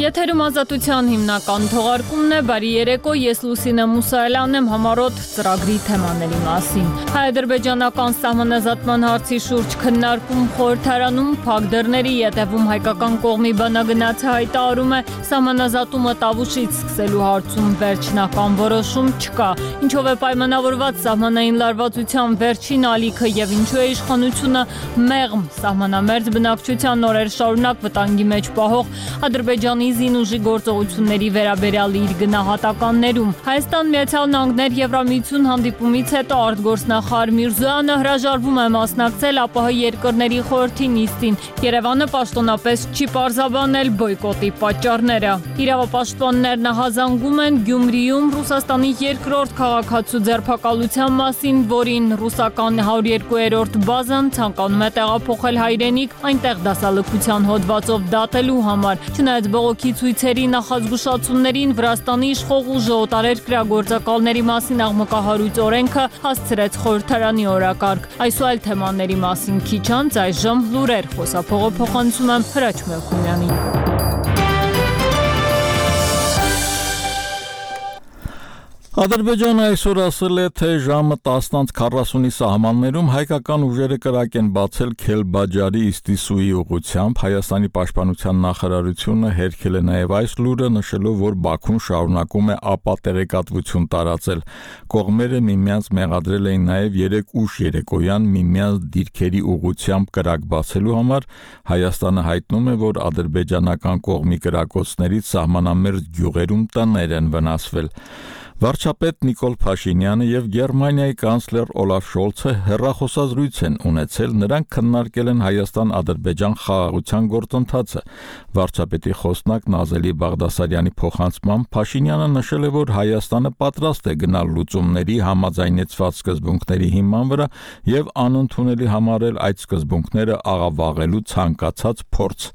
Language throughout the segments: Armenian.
Եթերում ազատության հիմնական թողարկումն է, բարի երեկո, ես Լուսինե Մուսայելյանն եմ, համառոտ ծրագրի թեմաների մասին։ Հայ-ադրբեջանական սահմանազատման հարցի շուրջ քննարկում խորհրդարանում, փակ դռների ետևում հայկական կողմի բանագնացը հայտարարում է, սահմանազատումը Տավուշից սկսելու հարցում վերջնական որոշում չկա, ինչով է պայմանավորված սահմանային լարվածության վերջին ալիքը եւ ինչու է իշխանությունը մեղմ սահմանամերձ բնակչության օրեր շարունակ վտանգի մեջ պահող Ադրբեջանի զինուժի գործողությունների վերաբերյալ իր գնահատականներում։ Հայաստան Միացյալ Նահանգներ Եվրամիություն հանդիպումից հետո արտգործնախարար Միրզոյանը հրաժարվում է մասնակցել ԱՊՀ երկրների խորհրդի նիստին։ Երևանը պաշտոնապես չի պարզաբանել բոյկոտի պատճառները։ Իրավապաշտպաններն ահազանգում են Գյումրիում Ռուսաստանի երկրորդ քաղաքացու ձերբակալության մասին, որին ռուսական 102-րդ բազան ցանկանում է տեղափոխել հայրենիք, այնտեղ դասալքության հոդվածով դատելու համար։ Չնայած բողոքի ցույցերի նախազգուշացումներին Վրաստանի իշխող ուժը օտարերկրյա գործակալների մասին աղմկահարույց օրենքը հասցրեց խորհրդարանի օրակարգ։ Այս ու այլ թեմաների մասին քիչ անց այժմ լուրեր խոսափողը փոխանցում եմ Հրաչ Մելքումյանին։ Ադրբեջանը այսօր ասել է, թե ժամը 10:40-ի սահմաններում հայկական ուժերը կրակ են բացել Քելբաջարի Իստիսուի ուղղությամբ։ Հայաստանի պաշտպանության նախարարությունը հերքել է նաև այս լուրը, նշելով, որ Բաքուն շարունակում է ապատեղեկատվություն տարածել։ Կողմերը միմյանց մեղադրել էին նաև 3 ուշ երեկոյան միմյանց դիրքերի ուղղությամբ կրակ բացելու համար։ Հայաստանը հայտնում է, որ ադրբեջանական կողմի կրակոցներից սահմանամերձ գյուղերում տներ են վնասվել։ Վարչապետ Նիկոլ Փաշինյանը եւ Գերմանիայի կանցլեր Օլաֆ Շոլցը հեռախոսազրույց են ունեցել, նրանք քննարկել են Հայաստան-Ադրբեջան խաղաղության գործընթացը։ Վարչապետի խոսնակ Նազելի Բաղդասարյանի փոխանցմամբ Փաշինյանը նշել է, որ Հայաստանը պատրաստ է գնալ լուծումների համաձայնեցված սկզբունքների հիման վրա եւ անընդունելի համարել այդ սկզբունքները աղավաղելու ցանկացած փորձ։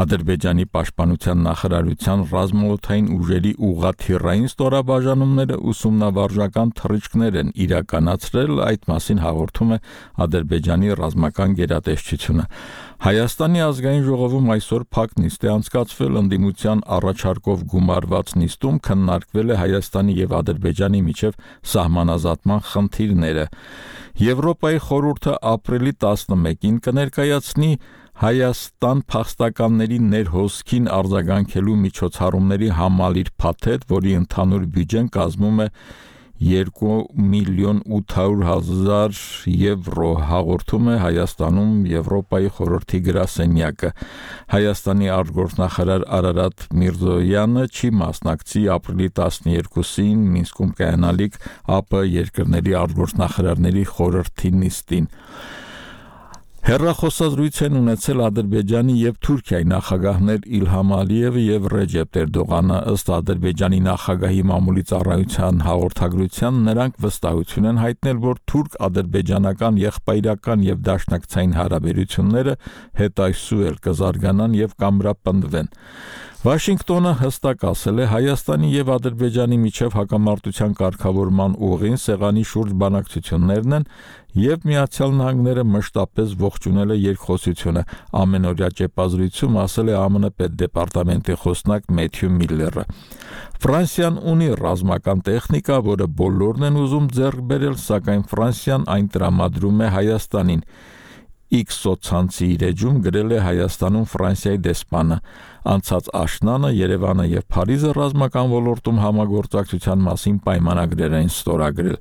Ադրբեջանի պաշտպանության նախարարության ռազմաօդային ուժերի ուղղաթիռային ստորաբաժանումները ուսումնավարժական թռիչքներ են իրականացրել, այդ մասին հաղորդում է Ադրբեջանի ռազմական գերատեսչությունը։ Հայաստանի ազգային ժողովում այսօր փակ նիստ է անցկացվել, ընդդիմության առաջարկով գումարված նիստում քննարկվել է Հայաստանի եւ Ադրբեջանի միջև սահմանազատման խնդիրները։ Եվրոպայի խորհուրդը ապրիլի 11-ին կներկայացնի Հայաստան փախստականների ներհոսքին արձագանքելու միջոցառումների համալիր փաթեթ, որի ընդհանուր բյուջեն կազմում է 2,8 միլիոն եվրո, հաղորդում է Հայաստանում Եվրոպայի խորհրդի գրասենյակը։ Հայաստանի արտգործնախարար Արարատ Միրզոյանը չի մասնակցի ապրիլի 12-ին Մինսկում կայանալիք ԱՊՀ երկրների արտգործնախարարների խորհրդի նիստին։ Հեռախոսազրույց են ունեցել Ադրբեջանի եւ Թուրքիայի նախագահներ Իլհամ Ալիևը եւ Ռեջեփ Էրդողանը, ըստ Ադրբեջանի նախագահի մամուլի ծառայության հաղորդագրության, նրանք վստահություն են հայտնել, որ թուրք-ադրբեջանական եղբայրական եւ դաշնակցային հարաբերությունները հետայսուել կզարգանան եւ կամրապնդվեն։ Վաշինգտոնը հստակ ասել է, Հայաստանի եւ Ադրբեջանի միջև հակամարտության կարգավորման ուղին սեղանի շուրջ բանակցություններն են եւ Միացյալ Նահանգները մշտապես ողջունել է երկխոսությունը, ամենօրյա ճեպազրույցում ասել է ԱՄՆ պետդեպարտամենտի խոսնակ Մեթյու Միլլերը։ Ֆրանսիան ունի ռազմական տեխնիկա, որը բոլորն են ուզում ձեռք բերել, սակայն Ֆրանսիան այն տրամադրում է Հայաստանին։ X սոցցանցի իր էջում գրել է Հայաստանում Ֆրանսիայի դեսպանը։ Անցած աշնանը Երևանը եւ Փարիզը ռազմական ոլորտում համագործակցության մասին պայմանագրեր են ստորագրել։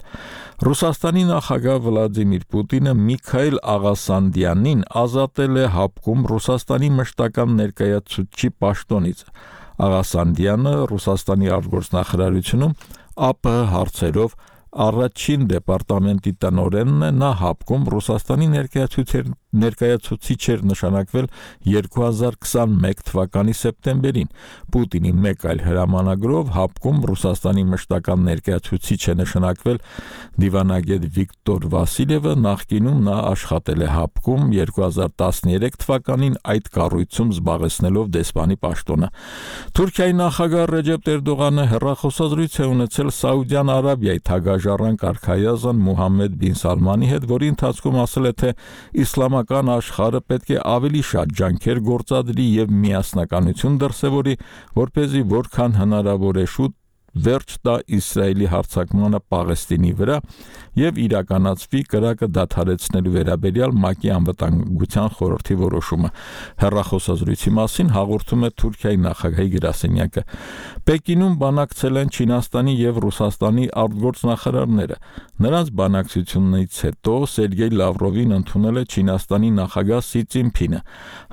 Ռուսաստանի նախագահ Վլադիմիր Պուտինը Միքայել Աղասանդյանին ազատել է հապկում Ռուսաստանի մշտական ներկայացուցչի պաշտոնից։ Աղասանդյանը Ռուսաստանի արտգործնախարարությունում ԱՊՀ հարցերով առաջին դեպարտամենտի տնօրենն է, նա հապկում Ռուսաստանի ներկայացուցիչ էր նշանակվել 2021 թվականի սեպտեմբերին։ Պուտինի մեկ այլ հրամանագրով հապկում Ռուսաստանի մշտական ներկայացուցիչ է նշանակվել դիվանագետ Վիկտոր Վասիլևը, նախկինում նա աշխատել է հապկում 2013 թվականին այդ կառույցում զբաղեցնելով դեսպանի պաշտոնը։ Թուրքիայի նախագահ Ռեջեփ Էրդողանը հեռախոսազրույց է ունեցել Սաուդյան Արաբիայի թագաժառանգ արքայազն Մուհամմեդ բին Սալմանի հետ, որի ընթացքում ասել է, թե իսլամական իսլամական աշխարհը պետք է ավելի շատ ջանքեր գործադրի եւ միասնականություն դրսեւորի, որպեսզի որքան հնարավոր է շուտ վերջ տա Իսրայելի հարձակմանը Պաղեստինի վրա եւ իրականացվի կրակը դադարեցնելու վերաբերյալ ՄԱԿ-ի անվտանգության խորհրդի որոշումը։ Հեռախոսազրույցի մասին հաղորդում է Թուրքիայի նախագահի գրասենյակը։ Պեկինում բանակցել են Չինաստանի եւ Ռուսաստանի արտգործնախարարները։ Նրանց բանակցությունից հետո Սերգեյ Լավրովին ընդունել է Չինաստանի նախագահ Սի Ցզինփինը։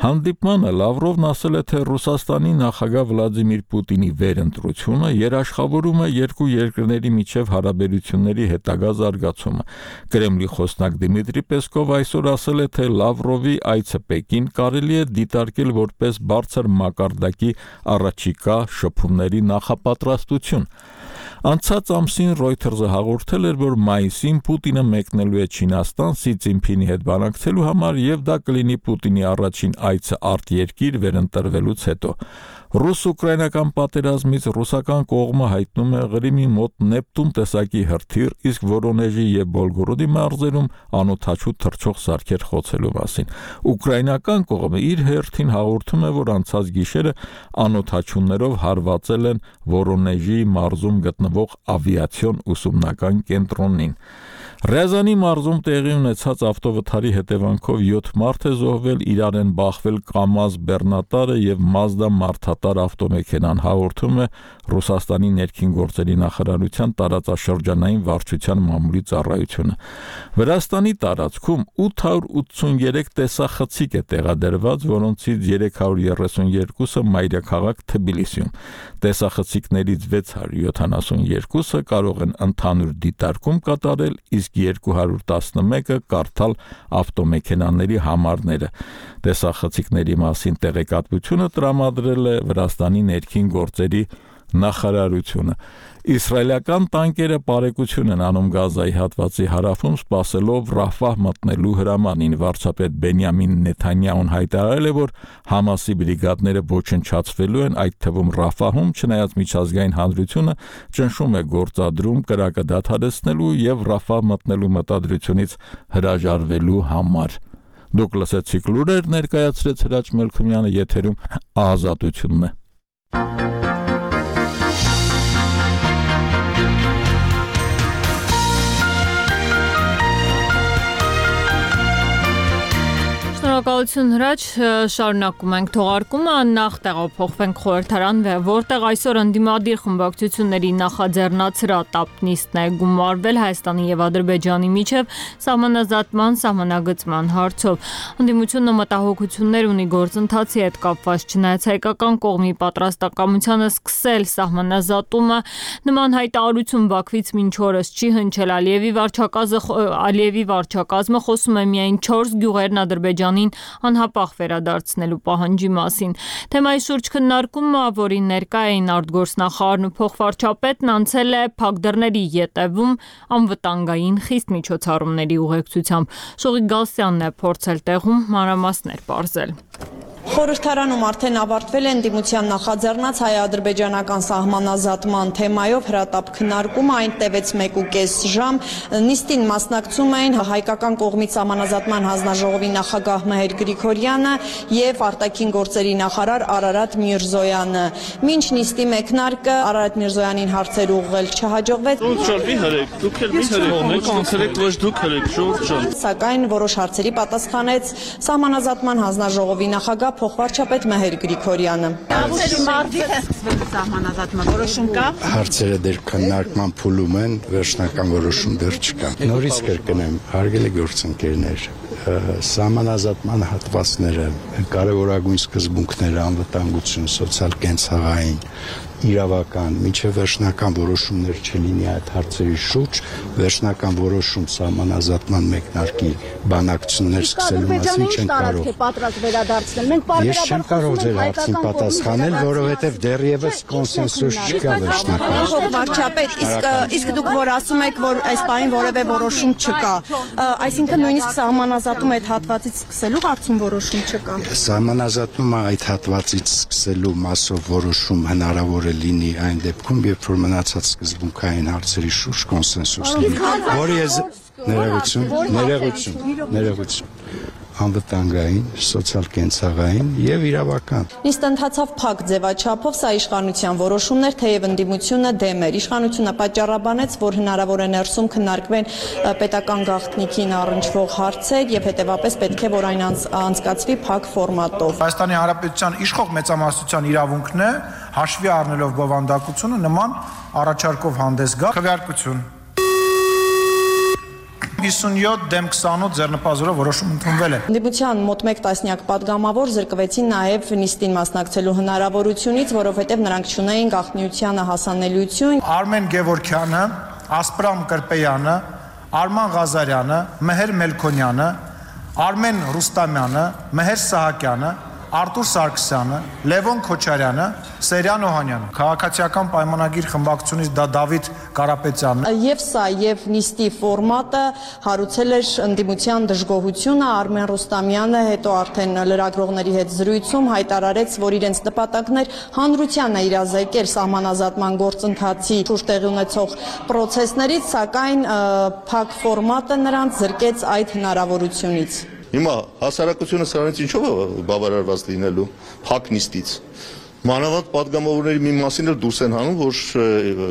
Հանդիպմանը Լավրովն ասել է, թե Ռուսաստանի նախագահ Վլադիմիր Պուտինի վերընտրությունը երաշխավորում է երկու երկրների միջև հարաբերությունների հետագա զարգացումը։ Կրեմլի խոսնակ Դիմիտրի Պեսկով այսօր ասել է, թե Լավրովի այցը Պեկին կարելի է դիտարկել որպես բարձր մակարդակի առաջիկա շփումների նախապատրաստություն։ Անցած ամսին Reuters-ը հաղորդել էր, որ մայիսին Պուտինը մեկնելու է Չինաստան Սի Ցզինփինի հետ բանակցելու համար եւ դա կլինի Պուտինի առաջին այցը արտերկիր վերընտրվելուց հետո։ Ռուս-ուկրաինական պատերազմից ռուսական կողմը հայտնում է Ղրիմի մոտ Նեպտուն տեսակի հրթիռ, իսկ Վորոնեժի եւ Բոլգորոդի մարզերում անօդաչու թռչող սարքեր խոցելու մասին։ Ուկրաինական կողմը իր հերթին հաղորդում է, որ անցած գիշերը անօդաչուներով հարվածել են Վորոնեժի մարզում գտնվող ավիացիոն ուսումնական կենտրոնին։ Ռեզանի մարզում տեղի ունեցած ավտովթարի հետևանքով 7 մարդ է զոհվել, իրար են բախվել Կամազ բեռնատարը եւ Մազդա մարդատար ավտոմեքենան, հաղորդում է Ռուսաստանի ներքին գործերի նախարարության տարածաշրջանային վարչության մամուլի ծառայությունը։ Վրաստանի տարածքում 883 տեսախցիկ է տեղադրված, որոնցից 332-ը մայրաքաղաք Թբիլիսիում։ Տեսախցիկներից 672-ը կարող են ընդհանուր դիտարկում կատարել, իսկ 211-ը կարդալ ավտոմեքենաների համարները։ Տեսախցիկների մասին տեղեկատվությունը տրամադրել է Վրաստանի ներքին գործերի նախարարությունը։ Իսրայելական տանկերը բարեկություն են անում Գազայի հատվածի հարավում, սպասելով Ռաֆահ մտնելու հրամանին։ Վարչապետ Բենյամին Նեթանյահուն հայտարարել է, որ Համասի բրիգադները ոչնչացվելու են, այդ թվում Ռաֆահում, չնայած միջազգային հանրությունը ճնշում է գործադրում կրակը դադարեցնելու եւ Ռաֆահ մտնելու մտադրությունից հրաժարվելու համար։ Դուք լսեցիք լուրեր, ներկայացրեց Հրաչ Մելքումյանը, եթերում Ազատությունն է։ Շնորհակալություն Հրաչ, շարունակում ենք թողարկումը, նախ տեղափոխվենք խորհրդարան, որտեղ այսօր ընդդիմադիր խմբակցությունների նախաձեռնած նիստն է գումարվել Հայաստանի եւ Ադրբեջանի միջև սահմանազատման սահմանագծման հարցով։ Ընդդիմությունը մտահոգություններ ունի գործընթացի հետ կապված, չնայած հայկական կողմի պատրաստակամությանը սկսել սահմանազատումը, նման հայտարարություն Բաքվից մինչ օրս չի հնչել։ Ալիևի վարչակազմը խոսում է միայն 4 գյուղերն Ադրբեջանին անհապաղ վերադարձնելու պահանջի մասին։ Թեմայի շուրջ քննարկումը, որին ներկա էին արտգործնախարարն ու փոխվարչապետն, անցել է փակ դռների ետևում անվտանգային խիստ միջոցառումների ուղեկցությամբ։ Շողիկ Գալստյանն է փորձել տեղում մանրամասներ պարզել։ Խորհրդարանում արդեն ավարտվել է ընդդիմության նախաձեռնած հայ-ադրբեջանական սահմանազատման թեմայով հրատապ քննարկումը, այն տևեց 1.5 ժամ։ Նիստին մասնակցում էին հայկական կողմից սահմանազատման հանձնաժողովի նախագահ Մհեր Գրիգորյանը եւ արտաքին գործերի նախարար Արարատ Միրզոյանը։ Մինչ նիստի մեկնարկը Արարատ Միրզոյանին հարցեր ուղղել չհաջողվեց։ Սակայն որոշ հարցերի պատասխանեց սահմանազատման հանձնաժողովի նախագահ փոխվարչապետ Մհեր Գրիգորյանը։ Հարցերը դեռ քննարկման փուլում են, վերջնական որոշում դեռ չկա։ Նորից կրկնեմ, հարգելի գործընկերներ, սահմանազատման հատվածները, կարևորագույն սկզբունքները, անվտանգություն, սոցիալ-կենցաղային, իրավական, միջև վերջնական որոշումներ չլինի այդ հարցերի շուրջ, վերջնական որոշում սահմանազատման մեկնարկի բանակցություններ սկսելու մասին չեն կարող։ Ես չեմ կարող ձեր հարցին պատասխանել, որովհետև դեռևս կոնսենսուս չկա վերջնական։ Վարչապետ, իսկ դուք որ ասում եք, որ այս պահին որևէ որոշում չկա, այսինքն նույնիսկ սահմանազատում այդ հատվածից սկսելու հարցում որոշում չկա։ Սահմանազատումը այդ հատվածից սկսելու մասով որոշում հնարավոր է լինի այն դեպքում, երբ որ մնացած սկզբունքային հարցերի շուրջ կոնսենսուս լինի, որը ես ներողություն։ անվտանգային, սոցիալ-կենցաղային եւ իրավական։ Նիստը ընթացավ փակ ձևաչափով, սա իշխանության որոշումներ, թեև ընդդիմությունը դեմ էր։ Իշխանությունը պատճառաբանեց, որ հնարավոր է ներսում քննարկվեն պետական գաղտնիքին առնչվող հարցեր եւ հետեւապես պետք է որ այն անցկացվի փակ ֆորմատով։ Հայաստանի Հանրապետության իշխող մեծամասնության իրավունքն է հաշվի առնելով բովանդակությունը նման առաջարկով հանդես գա։ Քվեարկություն 57 դեմ 28 ձեռնպազորով որոշում ընդունվել է։ Ընդդիմության մոտ 1 տասնյակ պատգամավոր զրկվեցին նաև նիստին մասնակցելու հնարավորությունից, որովհետև նրանք չունեին գաղտնիությանը հասանելիություն։ Արմեն Գևորգյանը, Ասպրամ Կրպեյանը, Արման Ղազարյանը, Մեհեր Մելքոնյանը, Արմեն Ռուստամյանը, Մեհեր Սահակյանը, Արտուր Սարգսյանը, Լևոն Քոչարյանը, Սերյան Օհանյանը, քաղաքացիական պայմանագիր խմբակցությունից դա Դավիթ Կարապետյանն է։ Եվ սա եւ նիստի ֆորմատը հարուցել էր ընդդիմության դժգոհությունը, Արմեն Ռուստամյանը հետո արդեն լրագրողների հետ զրույցում հայտարարեց, որ իրենց նպատակն էր հանրությանը իրազեկել սահմանազատման գործընթացի շուրջ տեղի ունեցող պրոցեսներից, սակայն փակ ֆորմատը նրանց զրկեց այդ հնարավորությունից։ Հիմա հասարակությունը սրանից ինչով է բավարարված լինելու փակ նիստից։ Մանավանդ պատգամավորների մի մասին էլ դուրս են հանում, որ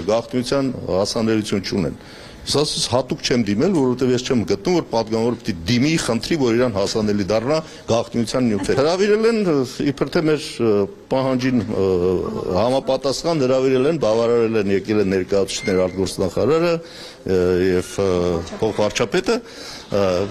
գաղտնիության հասանելիություն չունեն։ Սա հատուկ չեմ դիմել, որովհետև ես չեմ գտնում, որ պատգամավորը պիտի դիմի, խնդրի, որ իրան հասանելի դառնա գաղտնիության նյութերը։ Հրավիրել են իբր թե մեր պահանջին համապատասխան հրավիրել են, բավարարել են, եկել են ներկայացուցիչներ արտգործնախարարը եւ փոխվարչապետը,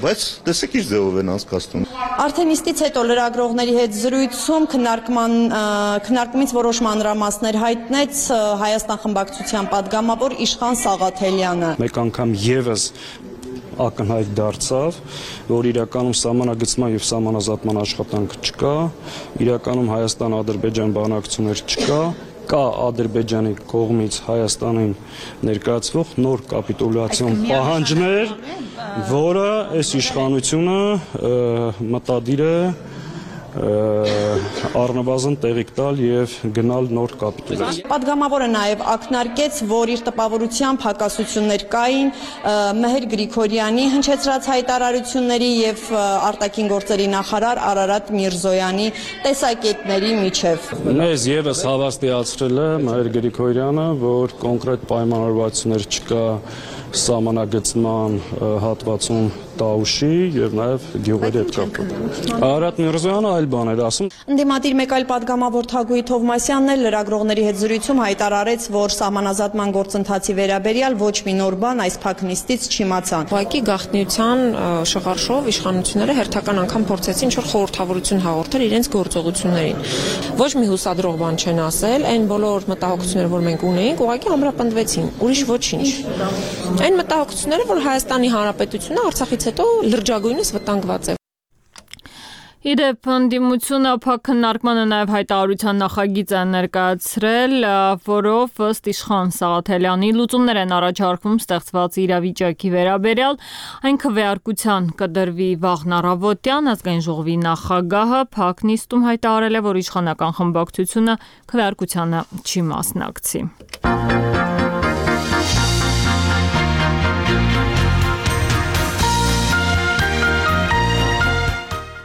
բայց տեսեք ինչ ձևով են անցկացնում։ Արդեն նիստից հետո լրագրողների հետ զրույցում քննարկումից որոշ մանրամասներ հայտնեց Հայաստան խմբակցության պատգամավոր Իշխան Սաղաթելյանը։ Մեկ անգամ եւս ակնհայտ դարձավ, որ իրականում սահմանագծման եւ սահմանազատման աշխատանք չկա, իրականում Հայաստան-Ադրբեջան բանակցություններ չկա, կա Ադրբեջանի կողմից Հայաստանին ներկայացվող նոր կապիտուլյացիոն պահանջներ, որը այս իշխանությունը մտադիր է առնվազն տեղիք տալ եւ գնալ նոր կապիտուլյացիա։ Պատգամավորը նաև ակնարկեց, որ իր տպավորությամբ հակասություններ կային Մեհեր Գրիգորյանի հնչեցրած հայտարարությունների եւ արտաքին գործերի նախարար Արարատ Միրզոյանի տեսակետների միջև։ Մեզ եւս հավաստիացրել է Մեհեր Գրիգորյանը, որ կոնկրետ պայմանավորվածություններ չկա սահմանագծման հատվածում Տաուշի եւ նաեւ գյուղերի հետ կապված։ Արարատ Միրզոյանը այլ բան էր ասում։ Ընդդիմադիր մեկ այլ պատգամավոր Թագուհի Թովմասյանն էլ լրագրողների հետ զրույցում հայտարարեց, որ սահմանազատման գործընթացի վերաբերյալ ոչ մի նոր բան այս փակ նիստից չիմացան։ Ուղղակի գաղտնիության շղարշով իշխանությունները հերթական անգամ փորձեցին ինչ-որ խորհրդավորություն հաղորդել իրենց գործողություններին։ Ոչ մի հուսադրող բան չեն ասել, այն բոլոր մտահոգությունները, որ մենք ունեինք, ուղղակի ամրապնդվեցին, ուրիշ ոչինչ։ Այն մտահոգությունները, որ Հայաստանի Հանրապետությունը Արցախից հետո լրջագույնս վտանգված է։ Իդեպ ընդդիմությունը փակ քննարկմանը նաև հայտարարության նախագիծ է ներկայացրել, որով ըստ Իշխան Սաղաթելյանի լուծումներ են առաջարկվում ստեղծված իրավիճակի վերաբերյալ, այն քվեարկության կդրվի վաղն առավոտյան, ազգային ժողովի նախագահը փակ նիստում հայտարարել է, որ իշխանական խմբակցությունը քվեարկությանը չի մասնակցի։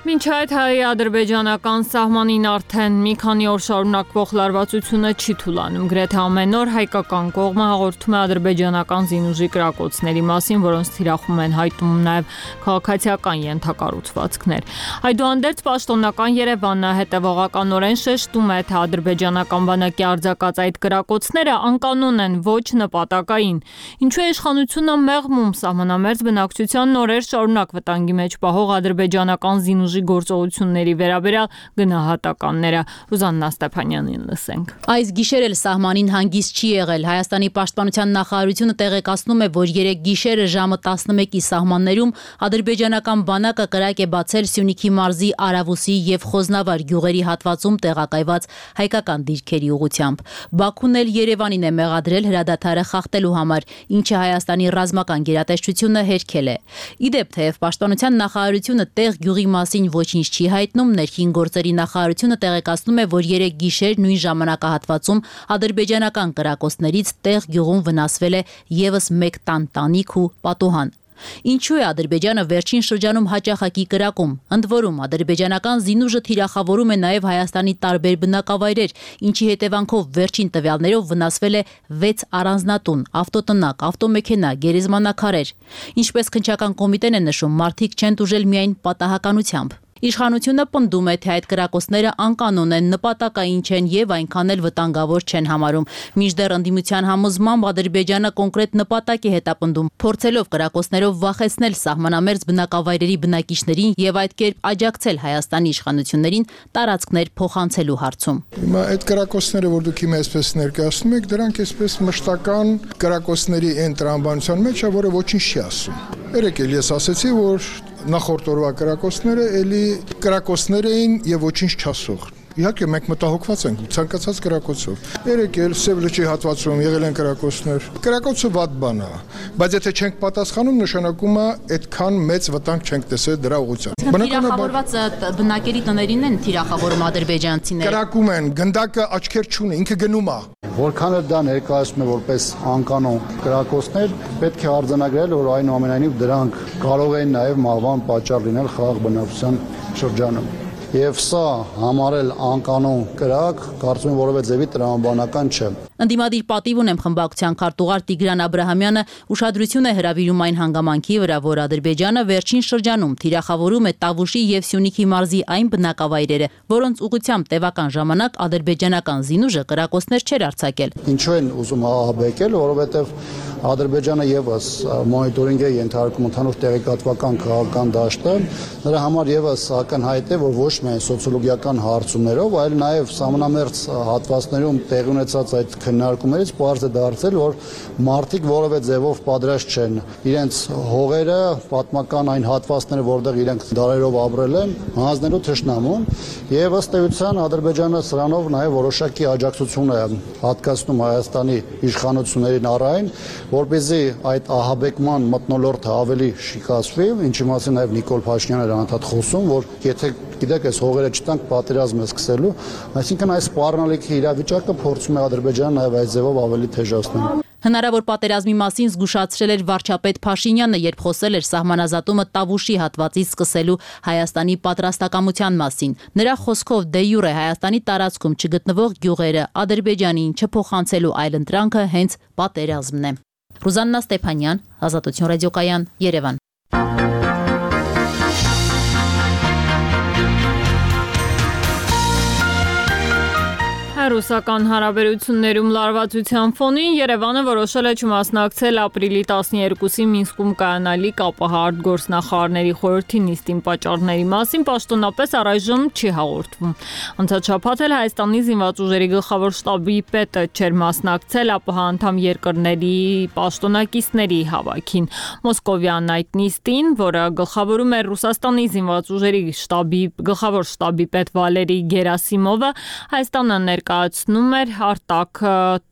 Մինչ այդ հայ-ադրբեջանական սահմանին արդեն մի քանի օր շարունակվող լարվածությունը չի թուլանում, գրեթե ամեն օր հայկական կողմը հաղորդում է ադրբեջանական զինուժի կրակոցների մասին, որոնց թիրախում են հայտնում նաև քաղաքացիական ենթակառուցվածքներ։ Այդուհանդերձ պաշտոնական Երևանը հետևողականորեն շեշտում է, թե ադրբեջանական բանակի արձակած այդ կրակոցները անկանոն են, ոչ նպատակային։ Ինչու է իշխանությունը մեղմում սահմանամերձ բնակչության նորեր շարունակ վտանգի մեջ պահող ադրբեջանական զինուժի գործողությունների վերաբերյալ գնահատականները։ Ռուզաննա Ստեփանյանին լսենք։ Այս գիշեր էլ սահմանին հանգիստ չի եղել։ Հայաստանի պաշտպանության նախարարությունը տեղեկացնում է, որ 3 գիշերը ժամը 11-ի սահմաններում ադրբեջանական բանակը կրակ է բացել Սյունիքի մարզի Արավուսի եւ Խոզնավար գյուղերի հատվածում տեղակայված հայկական դիրքերի ուղղությամբ։ Բաքուն էլ Երևանին է մեղադրել հրադադարը խախտելու համար, ինչը Հայաստանի ռազմական գերատեսչությունը հերքել է։ Իդեպ թեև պաշտպանության նախարարությունը տեղ գյուղի մասին ոչինչ չի հայտնում, ներքին գործերի նախարարությունը տեղեկացնում է, որ 3 գիշեր նույն ժամանակահատվածում ադրբեջանական կրակոցներից տեղ գյուղում վնասվել է եւս 1 տան տանիք ու պատուհան։ Ինչու է Ադրբեջանը վերջին շրջանում հաճախակի կրակում։ Ընդ որում, ադրբեջանական զինուժը թիրախավորում է նաև Հայաստանի տարբեր բնակավայրեր, ինչի հետևանքով վերջին տվյալներով վնասվել է 6 առանձնատուն, ավտոտնակ, ավտոմեքենա, գերեզմանակարեր։ Ինչպես քննչական կոմիտեն է նշում, մարդիկ չեն տուժել միայն պատահականությամբ։ Իշխանությունը պնդում է, թե այդ կրակոցները անկանոն են, նպատակային չեն եւ այնքան էլ վտանգավոր չեն համարում։ Մինչդեռ ընդդիմության համոզմամբ Ադրբեջանը կոնկրետ նպատակ է հետապնդում, փորձելով կրակոցներով վախեցնել սահմանամերձ բնակավայրերի բնակիչներին եւ այդ կերպ աջակցել Հայաստանի իշխանություններին տարածքներ փոխանցելու հարցում։ Հիմա այդ կրակոցները, որ դուք հիմա այսպես ներկայացնում եք, դրանք այսպես մշտական կրակոցների այն տրամաբանության մեջ է, որը ոչինչ չի ասում։ Երեք էլ ես ասացի, որ նախորդ օրվա կրակոցները էլի կրակոցներ էին եւ ոչինչ չասող։ Իհարկե մենք մտահոգված ենք ցանկացած կրակոցով։ Երեք էլ Սև լճի հատվածում եղել են կրակոցներ։ Կրակոցը վատ բան է, բայց եթե չենք պատասխանում, նշանակում է այդքան մեծ վտանգ չենք տեսել դրա ուղղությամբ։ Թիրախավորված բնակելի տներին են թիրախավորում ադրբեջանցիները։ Կրակում են, գնդակը աչքեր չունի, ինքը գնում է։ Որքան էլ դա ներկայացնում է որպես անկանոն կրակոցներ, պետք է արձանագրել, որ այնուամենայնիվ դրանք կարող են նաև մահվան պատճառ լինել խաղաղ բնակչության շրջանում։ Եվ սա համարել անկանոն կրակ, կարծում եմ որևէ ձևի տրամաբանական չէ։ Ընդդիմադիր պատիվ ունեմ խմբակցության քարտուղար Տիգրան Աբրահամյանը ուշադրություն է հրավիրում այն հանգամանքի վրա, որ Ադրբեջանը վերջին շրջանում թիրախավորում է Տավուշի եւ Սյունիքի մարզի այն բնակավայրերը, որոնց ուղղությամբ տևական ժամանակ ադրբեջանական զինուժը կրակոցներ չէր արձակել։ Ինչու են ուզում ահաբեկել, որովհետև Ադրբեջանը եւս մոնիտորինգ է ենթարկում ընդհանուր տեղեկատվական քաղաքական դաշտը, նրա համար եւս ակնհայտ է, որ ոչ միայն սոցիոլոգիական հարցումներով, այլ նաեւ սահմանամերձ հատվածներում տեղի ունեցած այդ քննարկումներից պարզ է դարձել, որ մարդիկ որևէ ձևով պատրաստ չեն իրենց հողերը, պատմական այն հատվածները, որտեղ իրենք դարերով ապրել են, հանձնելու թշնամուն, եւ ըստ էության Ադրբեջանը սրանով նաեւ որոշակի աջակցություն է հատկացնում Հայաստանի իշխանություններին առայն, որպեսզի այդ ահաբեկման մթնոլորտը ավելի շիկացվի, ինչի մասին նաև Նիկոլ Փաշինյանը էր անդադ խոսում, որ եթե գիտեք, այս հողերը չտանք, պատերազմ է սկսելու, այսինքն այս սպառնալիքի իրավիճակը փորձում է Ադրբեջանը նաև այս ձևով ավելի թեժացնել։ Հնարավոր պատերազմի մասին զգուշացրել էր վարչապետ Փաշինյանը, երբ խոսել էր սահմանազատումը Տավուշի հատվածից սկսելու Հայաստանի պատրաստակամության մասին։ Նրա խոսքով դե յուրե Հայաստանի տարածքում չգտնվող գյուղերը Ադրբեջանին չփոխանցելու այլընտրանքը հենց պատերազմն է։ Ռուզաննա Ստեփանյան, Ազատություն ռադիոկայան, Երևան։ Ռուսական հարաբերություններում լարվածության ֆոնին Երևանը որոշել է չմասնակցել ապրիլի 12-ի Մինսկում կայանալիք ԱՊՀ արտգործնախարարների խորհրդի նիստին պատճառների մասին պաշտոնապես առայժմ չի հաղորդվում։ Անցած շաբաթ էլ Հայաստանի զինված ուժերի գլխավոր շտաբի պետը չէր մասնակցել ԱՊՀ անդամ երկրների պաշտոնակիցների հավաքին։ Մոսկովյան այդ նիստին, որը գլխավորում էր Ռուսաստանի զինված ուժերի գլխավոր շտաբի պետ Վալերի Գերասիմովը, Հայաստանը ներկայացնում էր Արտակ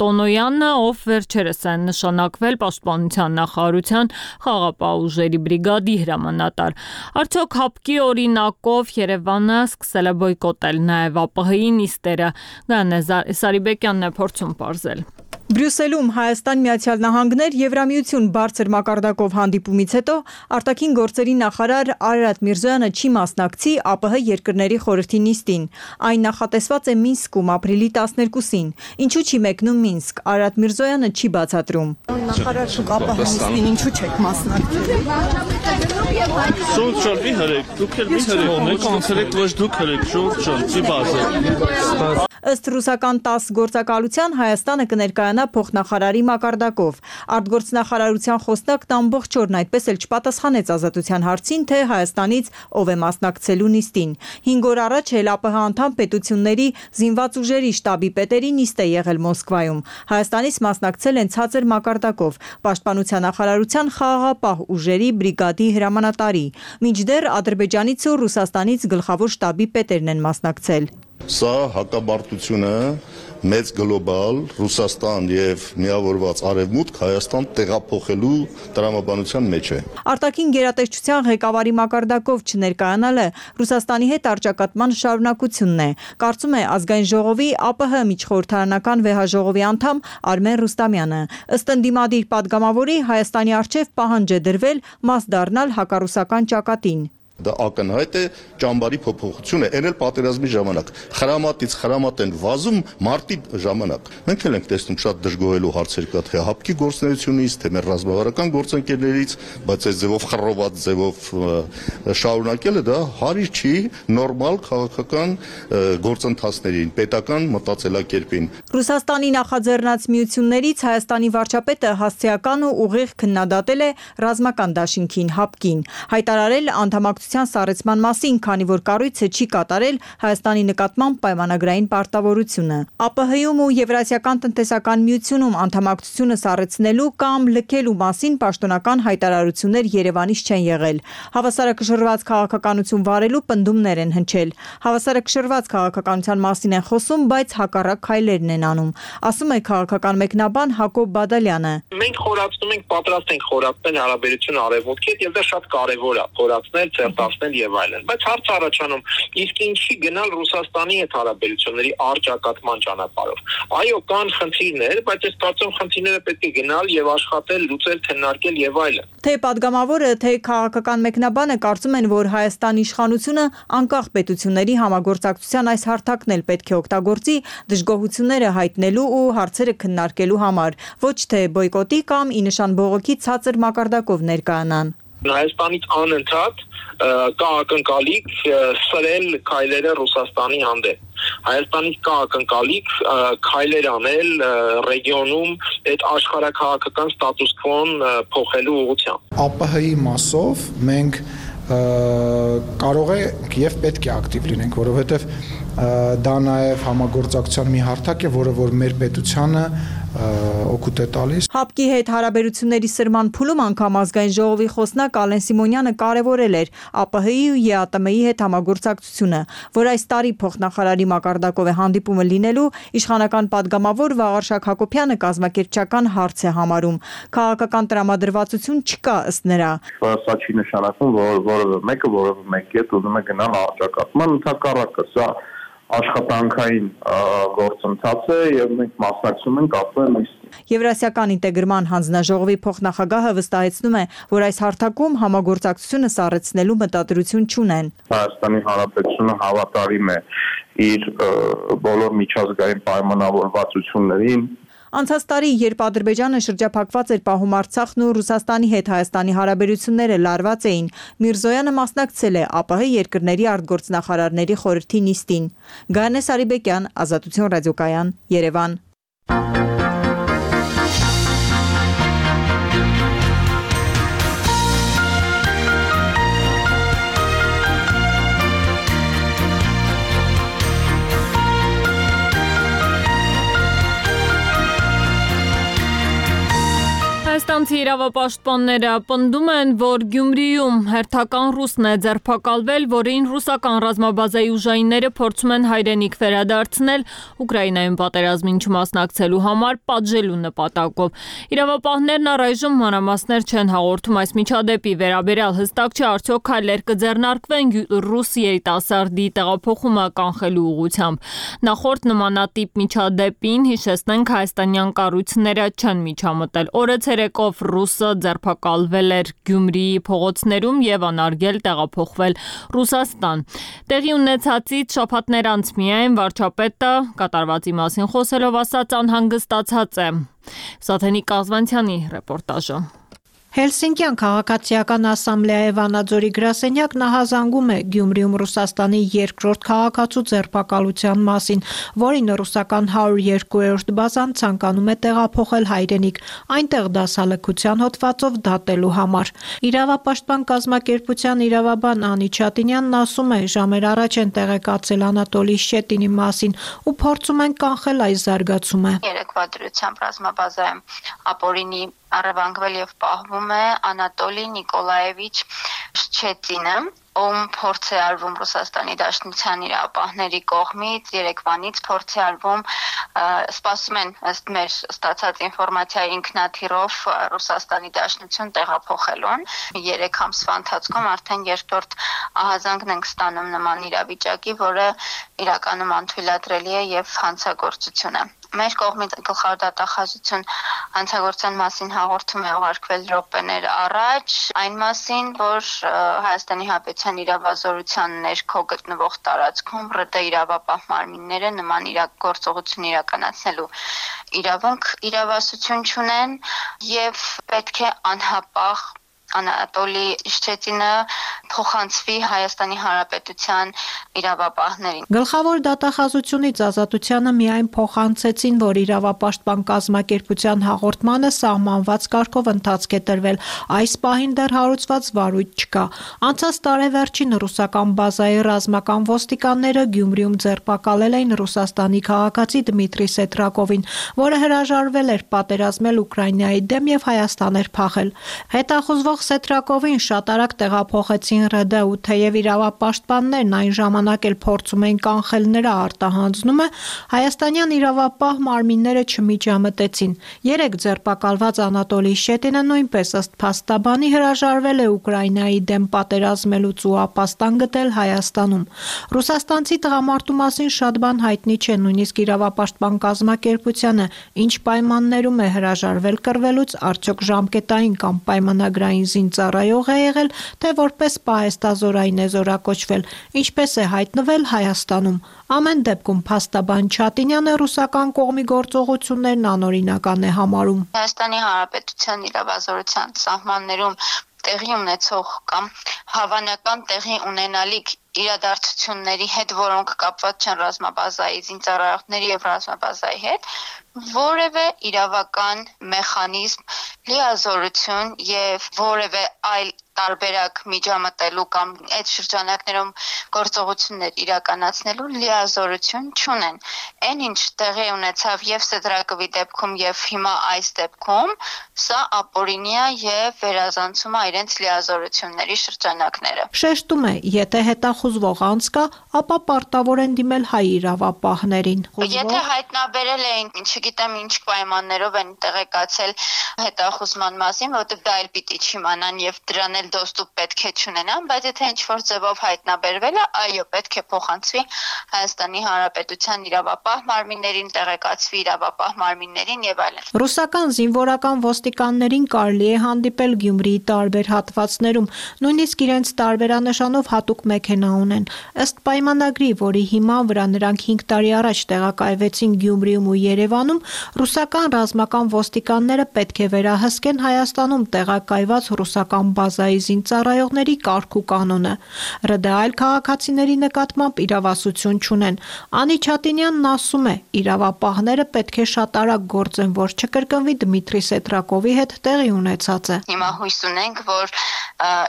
Տոնոյանը, ով վերջերս է նշանակվել Պաշտպանության նախարարության խաղաղապահ ուժերի բրիգադի հրամանատար։ Արդյոք հապկի օրինակով Երևանը սկսել է բոյկոտել նաև ԱՊՀ-ի նիստերը։ Գանե Սարիբեկյանն է փորձում պարզել։ Բրյուսելում Հայաստան Միացյալ Նահանգներ Եվրամիություն բարձր մակարդակով հանդիպումից հետո արտաքին գործերի նախարար Արարատ Միրզոյանը չի մասնակցի ԱՊՀ երկրների խորհրդի նիստին։ Այն նախատեսված է Մինսկում ապրիլի 12-ին։ Ինչու չի մեկնում Մինսկ, Արարատ Միրզոյանը չի բացատրում։ Նախարար շուտ ԱՊՀ նիստին ինչու չեք մասնակցել։ Շուտ մի հրեք, դուք էլ մի հրեք, մենք անցրեք ոչ դուք հրեք, շուտ չի բացել։ Ըստ ռուսական 10 գործակալության Հայաստանը կներկայանա փոխնախարարի մակարդակով։ Արտգործնախարարության խոսնակն ամբողջ օրն այդպես էլ չպատասխանեց Ազատության հարցին, թե Հայաստանից ով է մասնակցելու նիստին։ 5 օր առաջ էլ ԱՊՀ անդամ պետությունների զինված ուժերի շտաբի պետերի նիստ է եղել Մոսկվայում։ Հայաստանից մասնակցել են ցածր մակարդակով Պաշտպանության նախարարության խաղաղապահ ուժերի բրիգադի հրամանատարի։ Մինչդեռ Ադրբեջանից ու Ռուսաստանից գլխավոր շտաբի պետերն են մասնակցել։ Սա հակաբարտությունը մեծ գլոբալ Ռուսաստան եւ միավորված Արևմուտք Հայաստան տեղափոխելու տրամաբանության մեջ է։ Արտաքին գերատեսչության ղեկավարի մակարդակով չներկայանալը Ռուսաստանի հետ առճակատման շարունակությունն է, կարծում է ազգային ժողովի ԱՊՀ միջխորհրդարանական վեհաժողովի անդամ Արմեն Ռուստամյանը։ Ըստ ընդդիմադիր պատգամավորի Հայաստանի առջև պահանջ է դրվել մաս դառնալ հակառուսական ճակատին։ Դա ակնհայտ է ճամբարի փոփոխությունը, այն էլ պատերազմի ժամանակ։ Խրամատից խրամատ են վազում մարտի ժամանակ։ Մենք էլ ենք տեսնում շատ դժգոհելու հարցեր կա թե հապկի գործունեությունից, թե մեր ռազմավարական գործընկերներից, բայց այս ձևով խռոված ձևով շարունակելը դա հարիր չի նորմալ քաղաքական գործընթացներին, պետական մտածելակերպին։ Ռուսաստանի նախաձեռնած միություններից Հայաստանի վարչապետը հասցեական ու ուղիղ քննադատել է ռազմական դաշինքին հապկին, հայտարարել անդամակցության սառեցման մասին, քանի որ կառույցը չի կատարել Հայաստանի նկատմամբ պայմանագրային պարտավորությունը։ ԱՊՀ-ում ու Եվրասիական տնտեսական միությունում անդամակցությունը սառեցնելու կամ լքելու մասին պաշտոնական հայտարարություններ Երևանից չեն եղել։ Հավասարակշռված քաղաքականություն վարելու պնդումներ են հնչել։ Հավասարակշռված քաղաքականության մասին են խոսում, բայց հակառակ քայլերն են անում, ասում է քաղաքական մեկնաբան Հակոբ Բադալյանը։ Մենք խորացնում ենք, պատրաստ ենք խորացնել հարաբերությունը Արևմուտքի հետ, եւ դա շատ կարեւոր է, խորացնել, ցերտացնել եւ այլն։ Բայց հարց առաջանում, իսկ ինչի գնալ Ռուսաստանի հետ հարաբերությունների առճակատման ճանապարհով։ Այո, կան խնդիրներ, բայց ես կարծում խնդիրները պետք է գնալ եւ աշխատել, լուծել, քննարկել եւ այլն։ Թե պատգամավորը, թե քաղաքական մեկնաբանը կարծում են, որ Հայաստանի իշխանությունը անկախ պետությունների համագործակցության այս հարթակն էլ պետք է օգտագործի դժգոհությունները հայտնելու ու հարցերը քննարկելու համար, ոչ թե բոյկոտի կամ ի նշան բողոքի ցածր մակարդակով ներկայանան։ Հայաստանից անընդհատ կա ակնկալիք սրել քայլերը Ռուսաստանի հանդեպ։ Հայաստանից կա ակնկալիք քայլեր անել ռեգիոնում այդ աշխարհաքաղաքական ստատուս քվոն փոխելու ուղղությամբ։ ԱՊՀ-ի մասով մենք կարող է եւ պետք է ակտիվ լինենք, որովհետեւ դա նաեւ համագործակցության մի հարթակ է, որը որ մեր պետությանը օգուտ է տալիս։ Հապկի հետ հարաբերությունների սրման փուլում անգամ ազգային ժողովի խոսնակ Ալեն Սիմոնյանը կարևորել էր ԱՊՀ-ի ու ԵԱՏՄ-ի հետ համագործակցությունը, որ այս տարի փոխնախարարի մակարդակով է հանդիպումը լինելու, իշխանական պատգամավոր Վաղարշակ Հակոբյանը կազմակերպչական հարց է համարում։ Քաղաքական տրամադրվածություն չկա ըստ նրա։ Սա չի նշանակում, որ որևէ մեկը ուզում է գնալ առճակատման, ընդհակառակը սա աշխատանքային գործընթաց է եւ մենք մասնակցում ենք ԱՊՀ-ին։ Եվրասիական ինտեգրման հանձնաժողովի փոխնախագահը վստահեցնում է, որ այս հարթակում համագործակցությունը սառեցնելու մտադրություն չունեն։ Հայաստանի Հանրապետությունը հավատարիմ է իր բոլոր միջազգային պայմանավորվածություններին։ Անցած տարի, երբ Ադրբեջանը շրջափակված էր պահում Արցախն ու Ռուսաստանի հետ Հայաստանի հարաբերությունները լարված էին, Միրզոյանը մասնակցել է ԱՊՀ երկրների արտգործնախարարների խորհրդի նիստին։ Գայանե Սարիբեկյան, Ազատություն ռադիոկայան, Երևան։ Հայաստանցի իրավապաշտպանները պնդում են, որ Գյումրիում հերթական ռուսն է ձերբակալվել, որին ռուսական ռազմաբազայի ուժայինները փորձում են հայրենիք վերադարձնել Ուկրաինայում պատերազմին չմասնակցելու համար պատժելու նպատակով։ Իրավապահներն առայժմ մանրամասներ չեն հաղորդում այս միջադեպի վերաբերյալ, հստակ չէ արդյոք քայլեր կձեռնարկվեն ռուս երիտասարդի տեղափոխումը կանխելու ուղղությամբ։ Նախորդ նմանատիպ միջադեպին, հիշեցնենք, հայաստանյան կառույցները չեն միջամտել։ Օրը ցերեկով ռուսը ձերբակալվել էր Գյումրիի փողոցներում եւ անարգել տեղափոխվել Ռուսաստան։ Տեղի ունեցածից շաբաթներ անց միայն վարչապետը կատարվածի մասին խոսելով ասաց անհանգստացած է։ Սաթենիկ Կազվանցյանի ռեպորտաժը։ Հելսինկյան քաղաքացիական ասամբլեայի Վանաձորի գրասենյակ նահազանգում է Գյումրիում Ռուսաստանի երկրորդ քաղաքացու ձերբակալության մասին, որին ռուսական 102-րդ բազան ցանկանում է տեղափոխել հայրենիք, այնտեղ դասալքության հոդվածով դատելու համար։ Իրավապաշտպան կազմակերպության իրավաբան Անի Չատինյանն ասում է, ժամեր առաջ են տեղեկացել Անատոլի Շետինի մասին ու փորձում են կանխել այս զարգացումը։ Երեկվա դրությամբ ռազմաբազայում ապօրինի առևանգվել եւ պահվում է Անատոլի Նիկոլաևիչ Շչետինը, ում փորձ է արվում Ռուսաստանի Դաշնության իրավապահների կողմից, երեկվանից փորձ է արվում, սպասում են ըստ մեր ստացած ինֆորմացիայի ինքնաթիռով Ռուսաստանի Դաշնություն տեղափոխելուն։ 3 ամսվա ընթացքում արդեն երկրորդ ահազանգն ենք ստանում նման իրավիճակի, որը իրականում անթույլատրելի է եւ հանցագործություն է։ Մեր կողմից գլխավոր դատախազություն հանցագործության մասին հաղորդում է ուղարկվել րոպեներ առաջ, այն մասին, որ Հայաստանի Հանրապետության իրավազորության ներքո գտնվող տարածքում ՌԴ իրավապահ մարմինները նման գործողություն իրականացնելու իրավասություն չունեն եւ պետք է անհապաղ Անատոլի Իշչետինը փոխանցվի Հայաստանի Հանրապետության իրավապահներին։ Գլխավոր դատախազությունից Ազատությանը միայն փոխանցեցին, որ իրավապաշտպան կազմակերպության հաղորդմանը սահմանված կարգով ընթացք է տրվել։ Այս պահին դեռ հարուցված վարույթ չկա։ Անցած տարեվերջին ռուսական բազայի ռազմական ոստիկանները Գյումրիում ձերբակալել էին Ռուսաստանի քաղաքացի Դմիտրի Սետրակովին, որը հրաժարվել էր պատերազմել Ուկրաինայի դեմ եւ Հայաստան էր փախել։ Հետախուզվող Սետրակովին շատ արագ տեղափոխեցին ՌԴ ու թեև իրավապաշտպաններն այն ժամանակ էլ փորձում էին կանխել նրա արտահանձնումը, հայաստանյան իրավապահ մարմինները չմիջամտեցին։ 3 ձերբակալված Անատոլի Իշչետինը նույնպես ըստ փաստաբանի հրաժարվել է Ուկրաինայի դեմ պատերազմելուց ու ապաստան գտել Հայաստանում։ Ռուսաստանցի տղամարդու մասին շատ բան հայտնի չէ, նույնիսկ իրավապաշտպան կազմակերպությանը, ինչ պայմաններում է հրաժարվել կռվելուց, արդյոք ժամկետային կամ պայմանագրային զինծառայող է եղել, թե որպես պահեստազորային է զորակոչվել, ինչպես է հայտնվել Հայաստանում։ Ամեն դեպքում փաստաբան Չատինյանը ռուսական կողմի գործողություններն անօրինական է համարում։ Հայաստանի Հանրապետության իրավազորության սահմաններում տեղի ունեցող կամ հավանական տեղի ունենալիք իրադարձությունների հետ, որոնք կապված չեն ռազմաբազայի զինծառայողների եւ ռազմաբազայի հետ, որևէ իրավական մեխանիզմ, լիազորություն եւ որևէ այլ տարբերակ միջամտելու կամ այդ շրջանակներում գործողություններ իրականացնելու լիազորություն չունեն։ Այն ինչ տեղի ունեցավ եւ Սետրակովի դեպքում եւ հիմա այս դեպքում, սա ապօրինի է եւ վերազանցում է իրենց լիազորությունների շրջանակները։ Շեշտում է, եթե հետախուզվող անձ կա, ապա պարտավոր են դիմել հայ իրավապահներին։ Եթե հայտնաբերել էին, չգիտեմ ինչ պայմաններով են տեղեկացել հետախուզման մասին, որտեղ դա էլ պիտի չիմանան եւ դրան էլ դոստուպ պետք է չունենան, բայց եթե ինչ-որ ձևով հայտնաբերվել է, այո, պետք է փոխանցվի Հայաստանի Հանրապետության իրավապահ մարմիններին, տեղեկացվի իրավապահ մարմիններին եւ այլն։ Ռուսական զինվորական ոստիկաններին կարելի է հանդիպել Գյումրիի տարբեր հատվածներում, նույնիսկ իրենց տարբերանշանով հատուկ մեքենա ունեն։ Ըստ պայմանագրի, որի հիման վրա նրանք 5 տարի առաջ տեղակայվեցին Գյումրիում ու Երևանում, ռուսական ռազմական ոստիկանները պետք է վերահսկեն Հայաստանում տեղակայված ռուսական բազայի զինծառայողների կարգ ու կանոնը։ ՌԴ այլ քաղաքացիների նկատմամբ իրավասություն չունեն։ Անի Չատինյանն ասում է, իրավապահները պետք է շատ արագ գործեն, որ չկրկնվի Դմիտրի Սետրակովի հետ տեղի ունեցածը։ Հիմա հույս ունենք, որ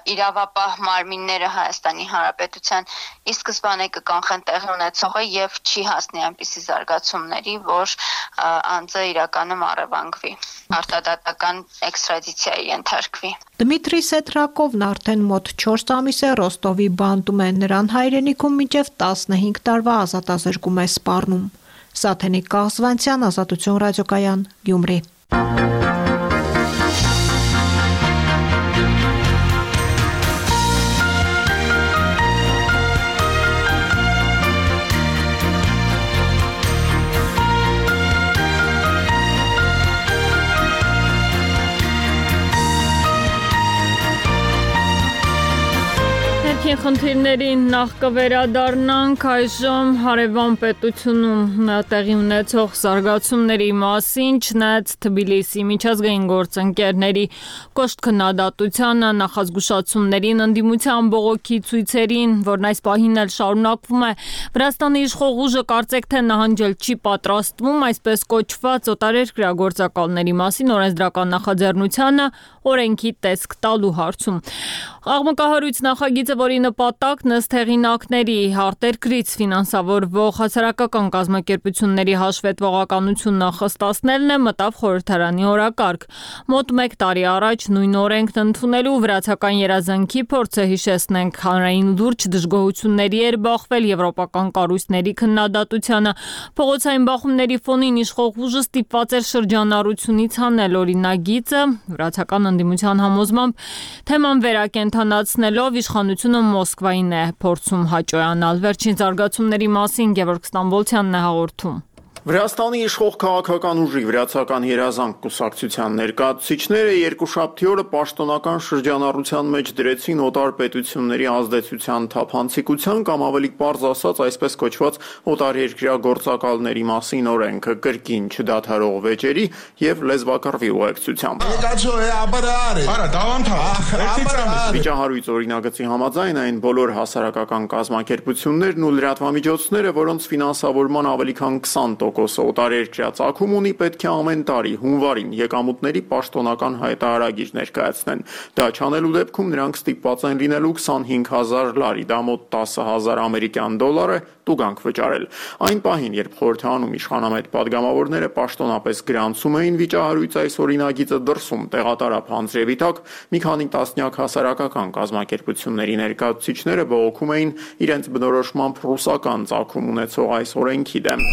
իրավապահ մարմինները Հայաստանի Հանրապետության ի սկզբանե կկանխեն տեղի ունեցողը եւ չի հասնի այնպիսի զարգացումների, որ անձը իրականում առևանգվի, արտադատական էքստրադիցիայի ենթարկվի։ Դմիտրի Սետրակովն արդեն մոտ 4 ամիս է Ռոստովի բանտում է, նրան հայրենիքում մինչև 15 տարվա ազատազրկում է սպառնում։ Սաթենիկ Կաղզվանցյան, Ազատություն ռադիոկայան, Գյումրի։ Խնդիրներին նախ կվերադառնանք այժմ հարևան պետությունում տեղի ունեցող զարգացումների մասին, չնայած Թբիլիսի միջազգային գործընկերների կոշտ քննադատությանը, նախազգուշացումներին, ընդդիմության բողոքի ցույցերին, որն այս պահին էլ շարունակվում է, Վրաստանի իշխող ուժը կարծեք թե նահանջել չի պատրաստվում, այսպես կոչված օտարերկրյա գործակալների մասին օրենսդրական նախաձեռնությանը օրենքի տեսք տալու հարցում։ Աղմկահարույց նախագիծը, որի նպատակն ըստ հեղինակների արտերկրից ֆինանսավորվող հասարակական կազմակերպությունների հաշվետվողականություն նախստացնելն է, մտավ խորհրդարանի օրակարգ։ Մոտ 1 տարի առաջ նույն օրենքն ընդունելու վրացական երազանքի փորձը, հիշեցնենք, հանրային լուրջ դժգոհությունների էր բախվել եվրոպական կառույցների քննադատությանը։ Փողոցային բախումների ֆոնին իշխող ուժը ստիպված էր շրջանառությունից հանել օրինագիծը, վրացական ընդդիմության համոզմամբ թեման վերակենդանացնելով իշխանությունը Մոսկվային է փորձում հաճոյանալ։ Վերջին զարգացումների մասին Գևորգ Ստամբոլցյանն է հաղորդում։ Վրաստանի իշխող քաղաքական ուժի վրացական երազանք կուսակցության ներկայացուցիչները երկուշաբթի օրը պաշտոնական շրջանառության մեջ դրեցին օտար պետությունների ազդեցության թափանցիկության կամ ավելի պարզ ասած այսպես կոչված օտարերկրյա գործակալների մասին օրենքը կրկին չդադարող վեճերի եւ լեզվակռվի ուղեկցությամբ։ Վիճահարույց օրինագծի համաձայն այն բոլոր հասարակական կազմակերպություններն ու լրատվամիջոցները, որոնց ֆինանսավորման ավելի քան 20% օտարերկրյա ծագում ունի, պետք է ամեն տարի հունվարին եկամուտների պաշտոնական հայտարարագիր ներկայացնեն։ Դա չանելու դեպքում նրանք ստիպված են լինելու 25,000 լարի, դա մոտ 10,000 ամերիկյան դոլար է, տուգանք վճարել։ Այն պահին, երբ խորհրդարանում իշխանամետ падգամավորները պաշտոնապես գրանցում էին վիճահարույց այս օրինագիծը դրսում տեղատարապ հանձրևի տակ, մի քանի տասնյակ հասարակական կազմակերպությունների ներկայացուցիչները բողոքում էին իրենց բնորոշմամբ ռուսական ծագում ունեցող այս օրենքի դեմ։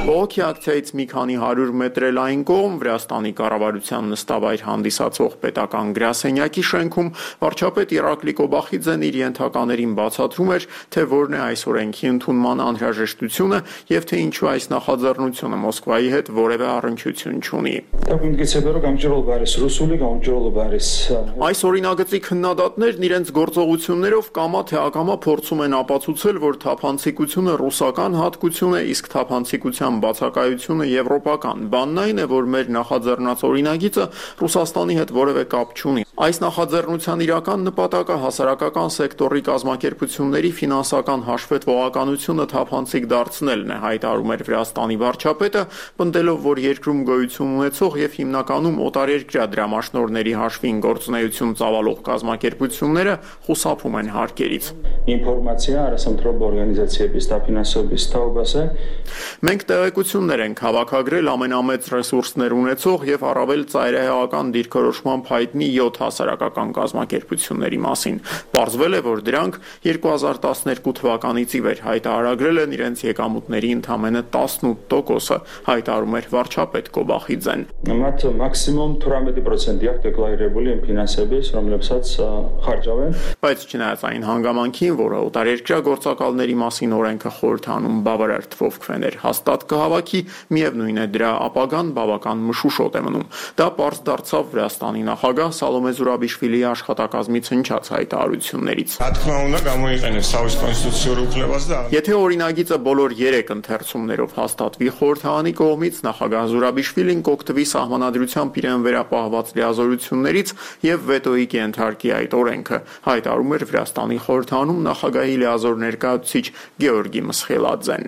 Բողոքի ակցիայից մի քանի 100 մետր էլ այն կողմ Վրաստանի կառավարության նստավայր հանդիսացող պետական գրասենյակի շենքում վարչապետ Իրակլի Կոբախիձեն իր ենթականերին բացատրում էր, թե որն է այս օրենքի ընդունման անհրաժեշտությունը եւ թե ինչու այս նախաձեռնությունը Մոսկվայի հետ որևէ առնչություն չունի։ Այս օրինագծի քննադատներն իրենց գործողություններով կամա թե ակամա փորձում են ապացուցել, որ թափանցիկությունը ռուսական հատկություն է, իսկ թափանցիկության բացակայությունը եվրոպական։ Բանն այն է, որ մեր նախաձեռնած օրինագիծը Ռուսաստանի հետ որևէ կապ չունի։ Այս նախաձեռնության իրական նպատակը հասարակական սեկտորի կազմակերպությունների ֆինանսական հաշվետվողականությունը թափանցիկ դարձնելն է, հայտարարում էր Վրաստանի վարչապետը, պնդելով, որ երկրում գոյություն ունեցող եւ հիմնականում օտարերկրյա դրամաշնորհների հաշվին գործունեություն ծավալող կազմակերպությունները խուսափում են հարկերից։ Մենք տեղեկություններ ենք հավաքագրել ամենամեծ ռեսուրսներ ունեցող եւ առավել ծայրահեղական դիրքորոշմամբ հայտնի 7 հասարակական կազմակերպությունների մասին։ Պարզվել է, որ դրանք 2012 թվականից ի վեր հայտարարագրել են իրենց եկամուտների ընդամենը 18%-ը, հայտարարում էր վարչապետ Կոբախիձեն։ Բայց չնայած այն հանգամանքին, որ օտարերկրյա գործակալների մասին օրենքը խորհրդանում բավարար թվով քվեներ հաստատ կհավաքի, միևնույն է դրա ապագան բավական մշուշոտ է մնում։ Դա պարզ դարձավ Վրաստանի նախագահ Սալոմե Զուրաբիշվիլիի աշխատակազմից հնչած հայտարարություններից։ Եթե օրինագիծը բոլոր 3 ընթերցումներով հաստատվի խորհրդարանի կողմից, նախագահ Զուրաբիշվիլին կօգտվի սահմանադրությամբ իրեն վերապահված լիազորություններից եւ վետոյի կենթարկի այդ օրենքը, հայտարարում էր Վրաստանի խորհրդարանում նախագահի լիազոր ներկայացուցիչ Գեորգի Մսխելաձեն։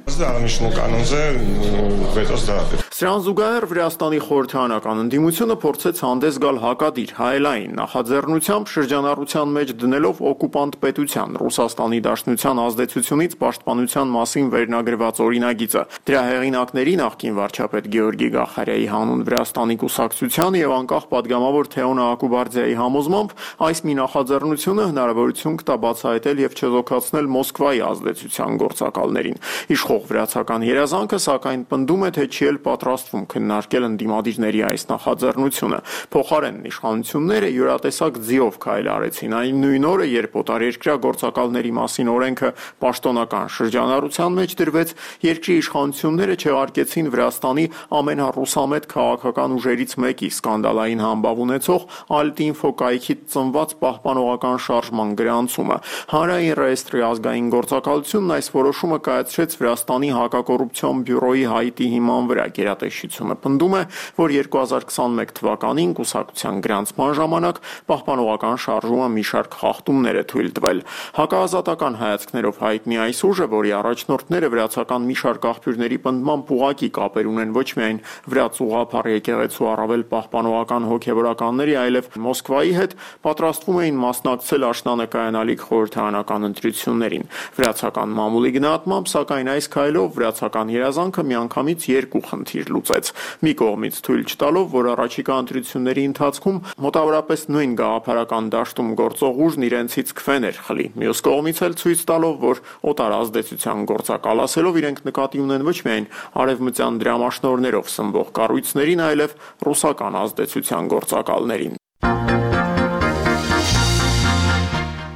Սրան զուգահեռ Վրաստանի խորհրդարանական ընդդիմությունը փորձեց հանդես գալ հակադիր հայելային նախաձեռնությամբ շրջանառության մեջ դնելով օկուպանտ պետության Ռուսաստանի Դաշնության ազդեցությունից պաշտպանության մասին վերնագրված օրինագիծը։ Դրա հեղինակների նախկին վարչապետ Գեորգի Գախարյայի հանուն Վրաստանի կուսակցության եւ անկախ падգամավոր Թեոնա Ակուբարձյայի համոզմամբ այս մի նախաձեռնությունը հնարավորություն կտա բացահայտել եւ չեզոքացնել Մոսկվայի ազդեցության գործակալներին։ Իշխող վրացական երազանքը սակայն պնդում է, թե չի էլ պատրաստվում քննարկել ընդդիմադիրների այս նախաձեռնությունը։ Փոխարենն իշխանությունները յուրատեսակ ձիով քայլ արեցին այն նույն օրը, երբ օտարերկրյա գործակալների մասին օրենքը պաշտոնական շրջանառության մեջ դրվեց, երկրի իշխանությունները չեղարկեցին Վրաստանի ամենառուսամետ քաղաքական ուժերից մեկի սկանդալային համբավ ունեցող Alt-Info կայքից ծնված պահպանողական շարժման գրանցումը։ Հանրային ռեեստրի ազգային գործակալությունն այս որոշումը կայացրեց Վրաստանի հակակոռուպցիոն բյուրոյի Հայիտի հիման վրա։ Գերատեսչությունը պնդում է, որ 2021 թվականին կուսակցության գրանցման ժամանակ պահպանողական շարժումը մի շարք խախտումներ է թույլ տվել։ Հակաազատական հայացքներով հայտնի այս ուժը, որի առաջնորդները վրացական մի շարք աղբյուրների պնդմամբ ուղղակի կապեր ունեն ոչ միայն վրաց ուղղափառ եկեղեցու առավել պահպանողական հոգևորականների, այլև Մոսկվայի հետ, պատրաստվում էին մասնակցել աշնանկայանալիք խորհրդարանական ընտրություններին։ Վրացական մամուլի գնահատմամբ, սակայն այս քայլով վրացական երազանքը միանգամից երկու խնդիր լուծեց։ Մի կողմից թույլ չտալով, որ առաջիկա ընտրությունների ընթացքում մոտավորապես նույն գաղափարական դաշտում գործող ուժն իրենցից քվեներ խլի։ Մյուս կողմից էլ ցույց տալով, որ օտար ազդեցության գործակալասելով իրենք նկատի ունեն ոչ միայն արևմտյան դրամաշնորներով սնվող կառույցներին, այլև ռուսական ազդեցության գործակալներին։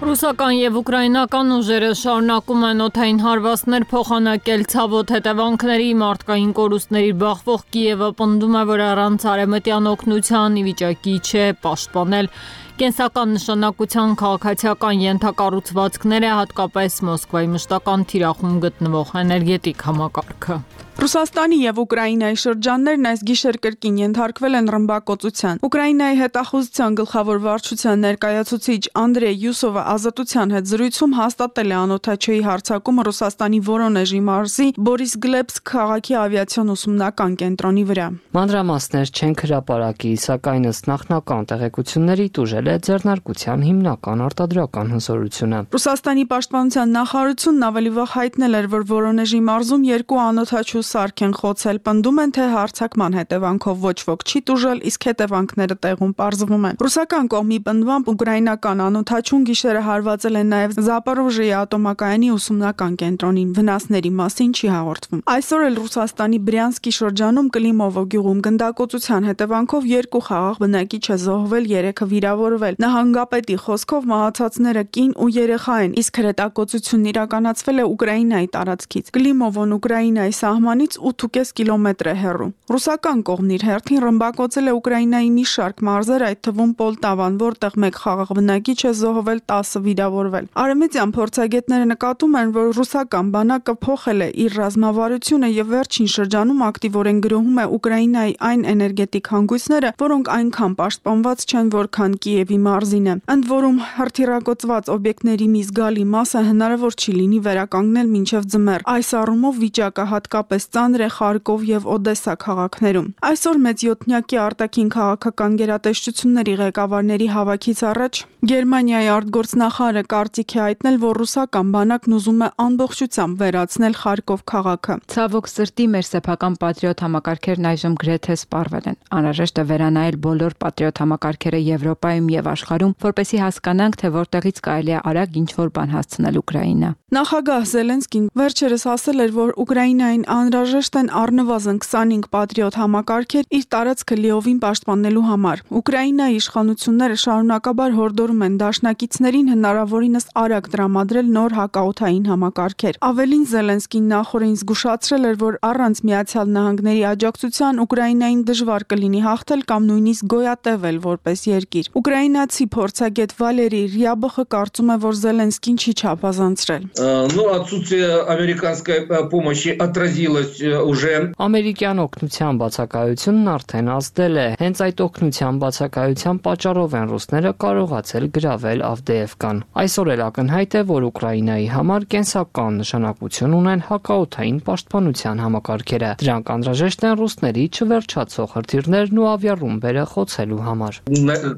Ռուսական եւ ուկրաինական ուժերը շարունակում են օդային հարվածներ փոխանակել ցավոտ հետևանքների մարդկային կորուստների բախվող Կիևը պնդում է, որ առանց արևմտյան օգնության ի վիճակի չէ պաշտպանել կենսական նշանակության քաղաքացիական ենթակառուցվածքները, հատկապես Մոսկվայի մշտական թիրախում գտնվող էներգետիկ համակարգը։ Ռուսաստանի եւ Ուկրաինայի շրջաններն այս գիշեր կրկին ենթարկվել են ռմբակոծության։ Ուկրաինայի հետախուզության գլխավոր վարչության ներկայացուցիչ Անդրեյ Յուսովը ազատության հետ զրույցում հաստատել է անօդաչուի հարձակումը Ռուսաստանի Վորոնեժի մարզի Բորիսգլեբսկ քաղաքի ավիացիոն ուսումնական կենտրոնի վրա։ Մանրամասներ չեն հրապարակի, սակայն ըստ նախնական տեղեկությունների տուժել է ձեռնարկության հիմնական արտադրական հզորությունը։ Ռուսաստանի պաշտպանության նախարարությունն ավելի վաղ հայտնել էր, որ Վորոնեժի մարզում երկու անօդաչու սարք են խոցել, պնդում են, թե հարձակման հետևանքով ոչ ոք չի տուժել, իսկ հետևանքները տեղում պարզվում են։ Ռուսական կողմի պնդմամբ ուկրաինական անօդաչուն գիշերը հարվածել են նաև Զապորոժիայի ատոմակայանի ուսումնական կենտրոնին, վնասների մասին չի հաղորդվում։ Այսօր էլ Ռուսաստանի Բրյանսկի շրջանում Կլիմովո գյուղում գնդակոծության հետևանքով երկու խաղաղ բնակիչ է զոհվել, 3-ը վիրավորվել։ Նահանգապետի խոսքով մահացածները կին ու երեխա են, իսկ հրետակոծությունն իրականացվել է Ուկրաինայի տարածքից։ Կլիմովոն Ուկրաինայի սահմանից 8.5 կիլոմետր է հեռու։ Ռուսական կողմն իր հերթին ռմբակոծել է Ուկրաինայի մի շարք մարզեր, այդ թվում Պոլտավան, որտեղ մեկ խաղաղ բնակիչ է զոհվել, 10-ը վիրավորվել։ Արևմտյան փորձագետները նկատում են, որ ռուսական բանակը փոխել է իր ռազմավարությունը եւ վերջին շրջանում ակտիվորեն գրոհում է Ուկրաինայի այն էներգետիկ հանգույցները, որոնք այնքան պաշտպանված չեն, որքան Կիևի մարզինը։ Ընդ որում հրթիռակոծված օբյեկտների մի զգալի մասը հնարավոր չի լինի վերականգնել մինչև ձմեռ։ Այս առումով վիճակը հատկապես ծանր է Խարկով եւ Օդեսա քաղաքներում։ Այսօր մեծ յոթնյակի արտաքին քաղաքական գերատեսչությունների ղեկավարների հավաքից առաջ Գերմանիայի արտգործնախարարը կարծիք է հայտնել, որ ռուսական բանակն ուզում է ամբողջությամբ վերացնել Խարկով քաղաքը։ Ցավոք սրտի մեր սեփական պատրիոտ համակարգերն այժմ գրեթե սպառվել են։ Անհրաժեշտ է վերանայել բոլոր պատրիոտ համակարգերը Եվրոպայում եւ աշխարհում, որպեսզի հասկանանք, թե որտեղից կարելի է արագ ինչ-որ բան հասցնել Ուկրաինա։ Նախագահ Զելենսկին վերջերս ասել էր, որ Ուկրաինային անհրաժեշտ են առնվազն 25 պատրիոտ համակարգեր իր տարածքը լիովին պաշտպանելու համար։ Ուկրաինայի իշխանությունները շարունակաբար հորդորում են դաշնակիցներին հնարավորինս արագ տրամադրել նոր հակաօդային համակարգեր։ Ավելին Զելենսկին նախորդին զգուշացրել էր, որ առանց Միացյալ Նահանգների աջակցության Ուկրաինային դժվար կլինի հաղթել կամ նույնիսկ գոյատևել որպես երկիր։ Ուկրաինացի փորձագետ Վալերի Ռյաբոխը կարծում է, որ Զելենսկին չի չափազանցրել։ Отсутствие американской помощи отразилось уже. Ամերիկյան օգնության բացակայությունն արդեն ազդել է։ Հենց այդ օգնության բացակայության պատճառով են ռուսները կարողացել գրավել Ավդեևկան։ Այսօր էլ ակնհայտ է, որ Ուկրաինայի համար կենսական նշանակություն ունեն հակաօդային պաշտպանության համակարգերը։ Դրանք անհրաժեշտ են ռուսների չվերջացող հրթիռներն ու ավիառումբերը խոցելու համար։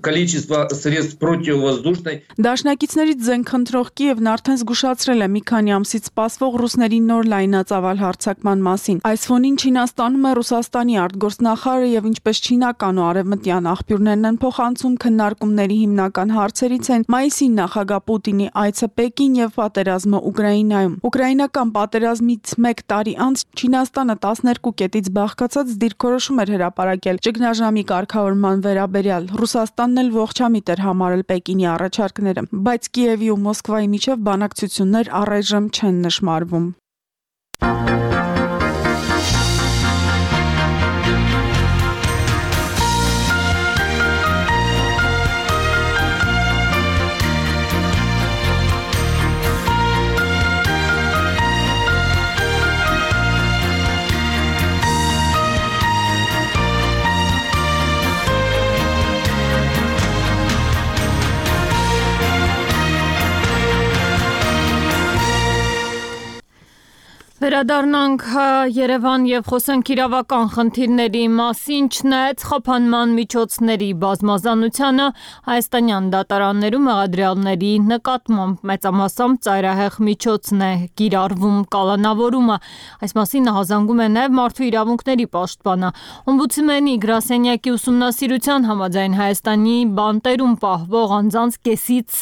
Количество средств противовоздушной. Դաշնակիցներից զենք խնդրող Կիևն արդեն զգուշացրել է մի քանի ամսից սպասվող ռուսների նոր լայնածավալ հարձակման մասին։ Այս ֆոնին Չինաստանում է Ռուսաստանի արտգործնախարարը եւ ինչպես չինական ու արևմտյան աղբյուրներն են փոխանցում, քննարկումների հիմնական հարցերից են մայիսին նախագահ Պուտինի այցը Պեկին եւ պատերազմը Ուկրաինայում։ Ուկրաինական պատերազմից 1 տարի անց Չինաստանը 12 կետից բաղկացած դիրքորոշում էր հրապարակել ճգնաժամի կարգավորման վերաբերյալ։ Ռուսաստանն էլ ողջամիտ էր համարել Պեկինի առաջարկները, բայց Կիևի ու Մոսկվայի միջև բանակցություններ առայժմ չեն նշմարվում։ Վերադառնանք Երևան եւ խոսենք իրավական խնդիրների մասին, չնայած խափանման միջոցների բազմազանությանը հայաստանյան դատարաններում մեղադրյալների նկատմամբ մեծամասամբ ծայրահեղ միջոցն է կիրառվում կալանավորումը։ Այս մասին հազանգում է նաեւ մարդու իրավունքների պաշտպանը։ Օմբուդսմենի գրասենյակի ուսումնասիրության համաձայն Հայաստանի բանտերում պահվող անձանց կեսից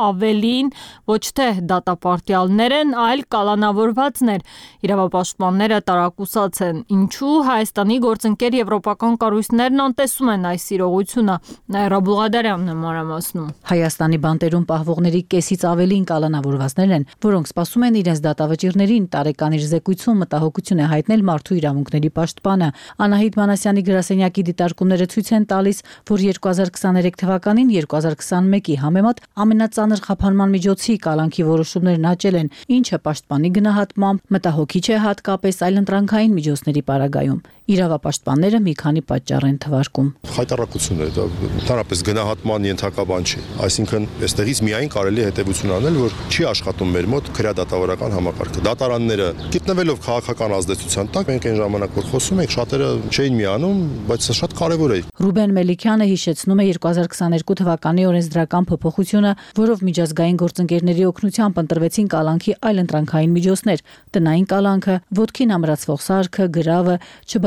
ավելին ոչ թե դատապարտյալներ են, այլ կալանավորվածներ։ Իրավապաշտպանները տարակուսած են, ինչու Հայաստանի գործընկեր եվրոպական կառույցներն անտեսում են այս իրողությունը։ Նաիրա Բուղադարյանն է մանրամասնում։ Հայաստանի բանտերում պահվողների կեսից ավելին կալանավորվածներ են, որոնք սպասում են իրենց դատավճիռներին, տարեկան իր զեկույցում մտահոգություն է հայտնել մարդու իրավունքների պաշտպանը։ Անահիտ Մանասյանի գրասենյակի դիտարկումները ցույց են տալիս, որ 2023 թվականին 2021-ի համեմատ ամենածանր խափանման միջոցի կալանքի որոշումներն աճել են, ինչը պաշտպանի գնահատմամբ մտահոգիչ է հատկապես այլընտրանքային միջոցների պարագայում։ Իրավապաշտպանները մի քանի պատճառ են թվարկում։ Հայտարարություն է, դա ընդհանրապես գնահատման ենթակա բան չի։ Այսինքն, այստեղից միայն կարելի է հետևություն անել, որ չի աշխատում մեր մոտ քրեադատավորական համակարգը։ Դատարանները գտնվելով քաղաքական ազդեցության տակ, մենք այն ժամանակ որ խոսում ենք, շատերը չէին միանում, բայց սա շատ կարևոր է։ Ռուբեն Մելիքյանը հիշեցնում է 2022 թվականի օրենսդրական փոփոխությունը, որով միջազգային գործընկերների օգնությամբ ընտրվեցին կալանքի այլընտրանքային միջոցներ՝ տնային կալանքը, ոտքին ամրացվող սարքը, գրավը,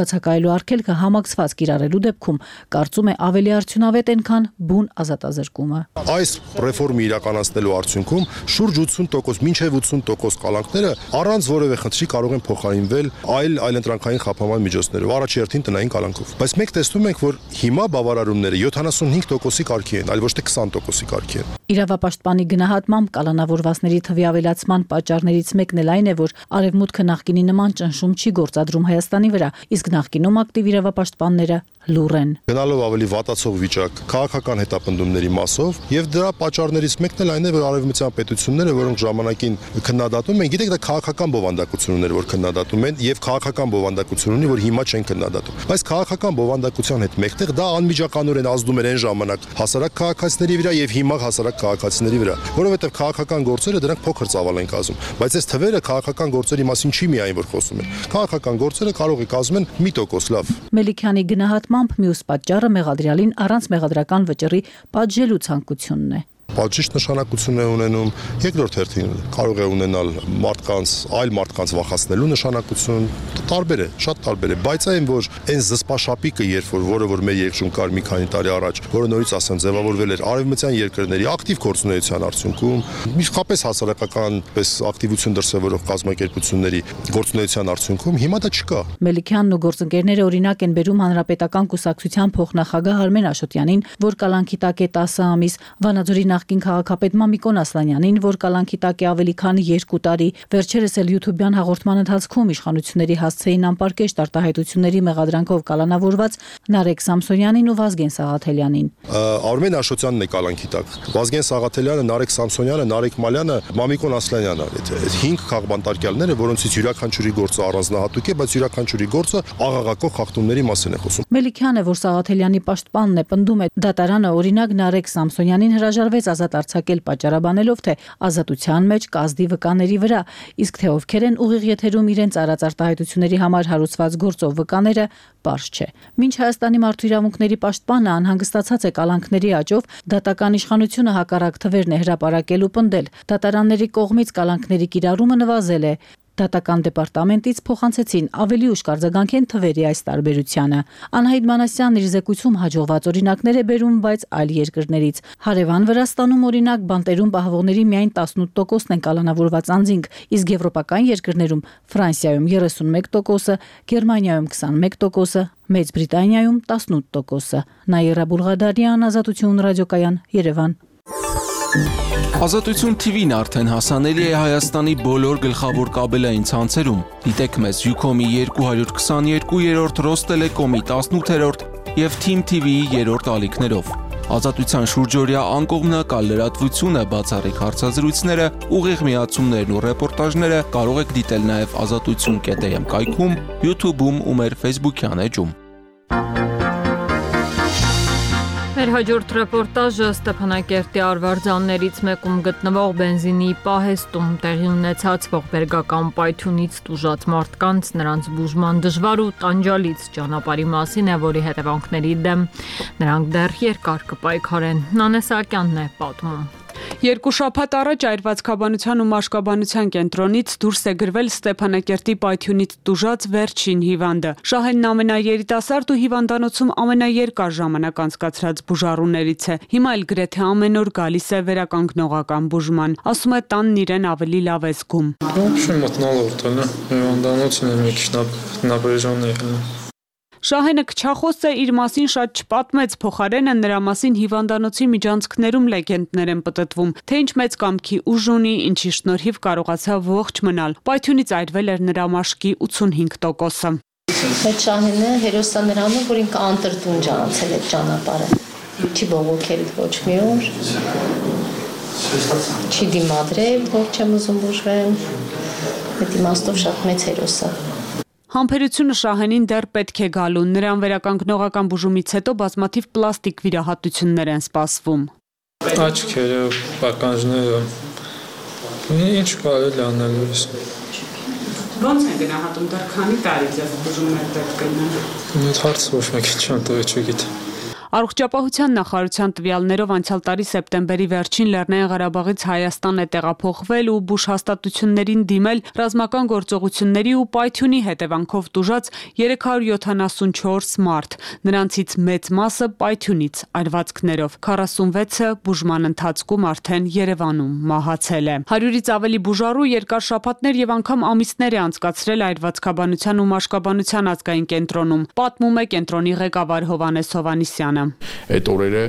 չբացակայելու արգելքը համակցված կիրառելու դեպքում կարծում է ավելի արդյունավետ են, քան բուն ազատազրկումը։ Այս ռեֆորմը իրականացնելու արդյունքում շուրջ 80%, մինչև 80% կալանքները առանց որևէ խնդրի կարող են փոխարինվել այլընտրանքային խափանման միջոցներով, առաջերտին տնային կալանքով։ Բայց մենք տեսնում ենք, որ հիմա բավարարումները 75%-ի կարգի են, այլ ոչ թե 20%-ի կարգի են։ Իրավապաշտպանի գնահատմամբ կալանավորվածների թվի ավելացման պատճառներից մեկն էլ այն է, որ Արևմուտքը նախկինի նման ճնշում չի գործադրում Հայաստանի վրա, իսկ նախկինում ակտիվ իրավապաշտպանները լուռ են։ Գնալով ավելի վատացող վիճակ քաղաքական հետապնդումների մասով եւ դրա պատճառներից մեկն էլ այն է, որ արևմտյան պետությունները, որոնք ժամանակին քննադատում են, գիտեք, դա քաղաքական բովանդակություն ուներ, որ քննադատում են եւ քաղաքական բովանդակություն ունի, որ հիմա չեն քննադատում։ Բայց քաղաքական բովանդակության հետ մեկտեղ դա անմիջականորեն ազդում էր այն ժամանակ հասարակ քաղաքացիների վրա եւ հիմա հասարակ քաղաքացիների վրա, որովհետեւ քաղաքական գործերը դրանք փոքր ծավալ են կազմում, բայց այս թվերը քաղաքական գործերի մասին չի միայն որ խոսում են։ Քաղաքական գործերը կարող է կազմեն 1% լավ։ Մելիքյանի գնահատմամբ մյուս պատճառը մեղադրյալին առանց մեղադրական վճռի պատժելու ցանկությունն է։ Պատժիչ նշանակություն է ունենում, երկրորդ հերթին կարող է ունենալ այլ մարդկանց վախացնելու նշանակություն, տարբեր է, շատ տարբեր է, բայց այն որ այն զսպաշապիկը, որը որ մեր երկրում կար մի քանի տարի առաջ, որը նորից ասեմ ձևավորվել էր արևմտյան երկրների ակտիվ գործունեության արդյունքում, իսկապես հասարակական պես ակտիվություն դրսևորող կազմակերպությունների գործունեության արդյունքում հիմա դա չկա։ Մելիքյանն ու գործընկերները օրինակ են բերում հանրապետական կուսակցության փոխնախագահ Արմեն Աշոտյանին, որ կալանքի տակ է 10 ամիս, Վանաձորի նախկին քաղաքապետ Մամիկոն Ասլանյանին, որ կալանքի տակ է ավելի քան 2 տարի, վերջերս էլ YouTube-յան հաղորդման ընթացքում իշխանությունների հասցեին անպարկեշտ արտահայտությունների մեղադրանքով կալանավորված Նարեկ Սամսոնյանին ու Վազգեն Սաղաթելյանին։ Արմեն Աշոտյանն է կալանքի տակ, Վազգեն Սաղաթելյանը, Նարեկ Սամսոնյանը, Նարեկ Մալյանը, Մամիկոն Ասլանյանը, այդ 5 քաղբանտարկյալները, որոնցից յուրաքանչյուրի գործը առանձնահատուկ է, բայց յուրաքանչյուրի գործը աղաղակող խախտումների մասին է խոսում։ Մելիքյանը, որ Սաղաթելյանի պաշտպանն է, պնդում է դատարանը օրինակ Նարեկ Սամսոնյանին հրաժարվեց ազատ արձակել պատճառաբանելով, թե ազատության մեջ կազդի վկաների վրա, իսկ թե ովքեր են ուղիղ եթերում իրենց արած արտահայտությունների համար հարուցված գործով վկաները, պարզ չէ։ Մինչ Հայաստանի մարդու իրավունքների պաշտպանը անհանգստացած է կալանքների աճով, դատական իշխանությունը հակառակ թվերն է հրապարակել ու պնդել։ Դատարանների կողմից կալանքների կիրառումը նվազել է։ Դատական դեպարտամենտից փոխանցեցին ավելի ուշ կարձագանքեն թվերի այս տարբերությանը։ Անահիտ Մանասյանն իր զեկույցում հաջողված օրինակներ է բերում, բայց այլ երկրներից։ Հարևան Վրաստանում օրինակ բանտերում պահվողների միայն 18%-ն են կալանավորված անձինք, իսկ եվրոպական երկրներում Ֆրանսիայում 31%, Գերմանիայում 21%, Մեծ Բրիտանիայում 18%։ Նաիրա Բուլղադարյան, Ազատություն ռադիոկայան, Երևան։ Ազատություն TV-ն արդեն հասանելի է Հայաստանի բոլոր գլխավոր կաբելային ցանցերում։ Դիտեք մեզ Ucom-ի 222-րդ, Ռոստելեկոմի 18-րդ եւ Team TV-ի 3-րդ ալիքներով։ Ազատության շուրջօրյա անկողմնակալ լրատվությունը, բացառիկ հարցազրույցները, ուղիղ միացումներն ու ռեպորտաժները կարող եք դիտել նաեւ azatutsun.am կայքում, YouTube-ում ու մեր Facebook-յան էջում։ Մեր հաջորդ ռեպորտաժը Ստեփանակերտի արվարձաններից մեկում գտնվող բենզինի պահեստում տեղի ունեցած ողբերգական պայթյունից տուժած մարդկանց նրանց բուժման դժվար ու տանջալից ճանապարհի մասին է, որի հետևանքների դեմ նրանք դեռ երկար կպայքարեն։ Նանե Սահակյանն է պատմում։ Երկու շաբաթ առաջ Այրվածքաբանության ու մաշկաբանության կենտրոնից դուրս է գրվել Ստեփանակերտի պայթյունից տուժած վերջին հիվանդը։ Շահենն ամենաերիտասարդ ու հիվանդանոցում ամենաերկար ժամանակ անցկացրած բուժառուներից է։ Հիմա էլ գրեթե ամեն օր գալիս է վերականգնողական բուժման։ Ասում է տանն իրեն ավելի լավ է զգում։ Շահենը քչախոս է, իր մասին շատ չպատմեց, փոխարենը նրա մասին հիվանդանոցի միջանցքներում լեգենդներ են պտտվում, թե ինչ մեծ կամքի ուժ ունի, ինչի շնորհիվ կարողացավ ողջ մնալ։ Պայթյունից այրվել էր նրա մաշկի 85%-ը։ Այդ Շահենը հերոսա նրանով, որ ինքը անտրտուն անցել է ճանապարհը։ Չի բողոքել ոչ մի օր։ Չի դիմադրել, որ չեմ ուզում բուժվեմ։ Այդ իմաստով շատ մեծ հերոս է։ Համբերությունը Շահենին դեռ պետք է գալու, նրան վերականգնողական բուժումից հետո բազմաթիվ պլաստիկ վիրահատություններ են սպասվում։ Աչքերը, պականջները, ինչ կարելի անել ես։ Ոնց են գնահատում, դեռ քանի տարի ձեզ բուժումներ պետք կլինեն։ Այդ հարցը ոչ մեկ չեմ տվել, չգիտեմ։ Առողջապահության նախարարության տվյալներով անցյալ տարի սեպտեմբերի վերջին Լեռնային Ղարաբաղից Հայաստան է տեղափոխվել ու բուժհաստատություններին դիմել ռազմական գործողությունների ու պայթյունի հետևանքով տուժած 374 մարդ, նրանցից մեծ մասը պայթյունից այրվածքներով, 46-ը բուժման ընթացքում արդեն Երևանում մահացել է։ 100-ից ավելի բուժառու երկար շաբաթներ եւ անգամ ամիսներ է անցկացրել Այրվածքաբանության ու մաշկաբանության ազգային կենտրոնում, պատմում է կենտրոնի ղեկավար Հովհաննես Հովհաննիսյանը։ Այդ օրերը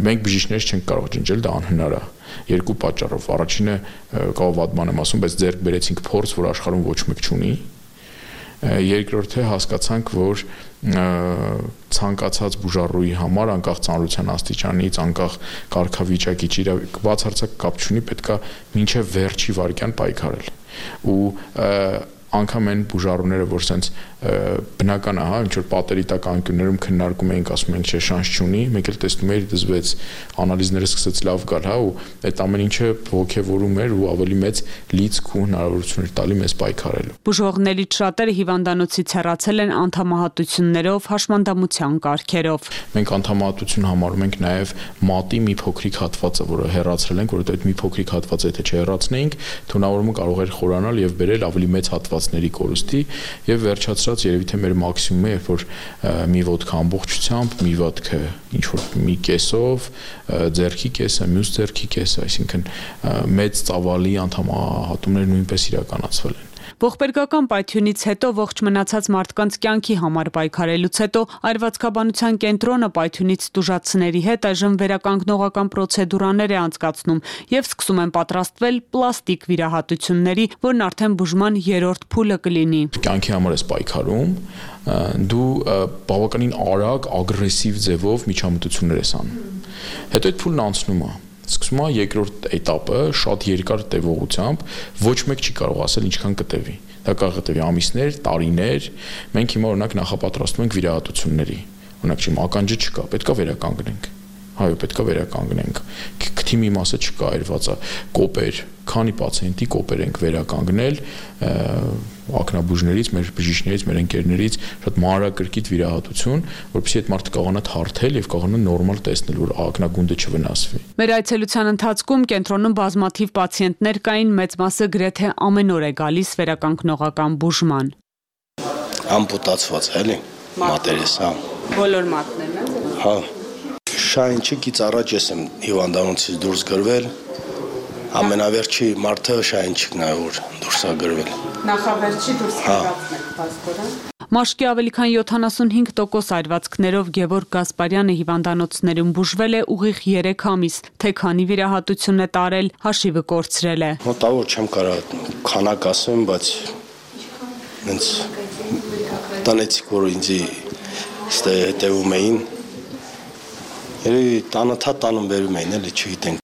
մենք բժիշկներ չենք կարող ջնջել, դա անհնար է երկու պատճառով։ Առաջինը կարող վատման եմ ասում, բայց ձեռք բերեցինք փորձ, որ աշխարհում ոչ մեկ չունի։ Երկրորդը հասկացանք, որ ցանկացած բուժառուի համար անկախ ծանրության աստիճանից, անկախ կարգավիճակից բացարձակ կապ չունի, պետքա մինչև վերջի վայրկյան պայքարել։ Ու անգամ այն բուժառուները, որ sense բնական է, հա, ինչ որ պատերի տակ անկյուններում քննարկում էինք, ասում ենք, չէ, շանս չունի, մեկ էլ տեսնում էիր դզվեց, անալիզները սկսեց լավ գալ, հա, ու այդ ամեն ինչը ողջևորում էր ու ավելի մեծ լիցք ու հնարավորություն էր տալի մեզ պայքարելու։ Բուժողներից շատերը հիվանդանոցից հեռացել են անդամահատություններով, հաշմանդամության կարգերով։ Մենք անդամահատություն համարում ենք նաև մատի մի փոքրիկ հատվածը, որը հեռացրել ենք, որովհետև այդ մի փոքրիկ հատվածը եթե չհեռացնեինք, թունավորումը կարող էր խորանալ եւ բերել ավելի մեծ հատվածների կորուստի եւ վերջացրած երևի թե մեր մաքսիմումը է, երբ որ մի ոտք ամբողջությամբ, մի ոտքը ինչ որ մի կեսով, ձեռքի կեսը, մյուս ձեռքի կեսը, այսինքն մեծ ծավալի անդամահատումներ նույնպես իրականացվել են։ Ողբերգական պայթյունից հետո ողջ մնացած մարդկանց կյանքի համար պայքարելուց հետո Այրվածքաբանության կենտրոնը պայթյունից տուժածների հետ այժմ վերականգնողական պրոցեդուրաներ է անցկացնում եւ սկսում են պատրաստվել պլաստիկ վիրահատությունների, որն արդեն բուժման 3-րդ փուլը կլինի։ Կյանքի համար ես պայքարում, դու բավականին արագ, ագրեսիվ ձևով միջամտություններ ես անում։ Հետո այդ փուլն անցնում է։ Սկսում է երկրորդ էտապը շատ երկար տևողությամբ, ոչ մեկ չի կարող ասել ինչքան կտևի։ Դա կարող է տևի ամիսներ, տարիներ։ Մենք հիմա օրինակ նախապատրաստում ենք վիրահատությունների։ Օրինակ չեմ ականջը չկա, պետքա վերականգնենք։ Հայո, պետքա վերականգնենք։ Քթի մի մասը չկա, այրված է, կոպեր, քանի պացիենտի կոպեր ենք վերականգնել ակնաբուժներից, մեր բժիշկներից, մեր ընկերներից, շատ մանրակրկիտ վիրահատություն, որովհետեւ այդ մարդը կարողանա թարթել եւ կարողանա նորմալ տեսնել, որ ակնագունդը չվնասվի։ Մեր այցելության ընթացքում կենտրոնում բազմաթիվ պացիենտներ կային, մեծ մասը գրեթե ամեն օր է գալիս վերականգնողական բուժման։ Ամպուտացված էլի, մատերես, հա։ Բոլոր մատներն են։ Հա։ Շահենչիկից առաջ ես եմ հիվանդանոցից դուրս գրվել։ Ամենավերջի մարդը Շահենչիկն է, որ դուրս է գրվել։ Նախավերջի դուրս եկածն եք պասպորը։ Մաշկի ավելի քան 75% այրվածքներով Գևորգ Գասպարյանը հիվանդանոցներում բուժվել է ուղիղ 3 ամիս, թե քանի վիրահատություն է տարել, հաշիվը կորցրել է։ Մոտավոր չեմ կարող քանակ ասեմ, բայց ինձ տնեցիք, որ ինձ հետևում էին, երևի տանը թա տանում բերում էին, էլի չգիտենք։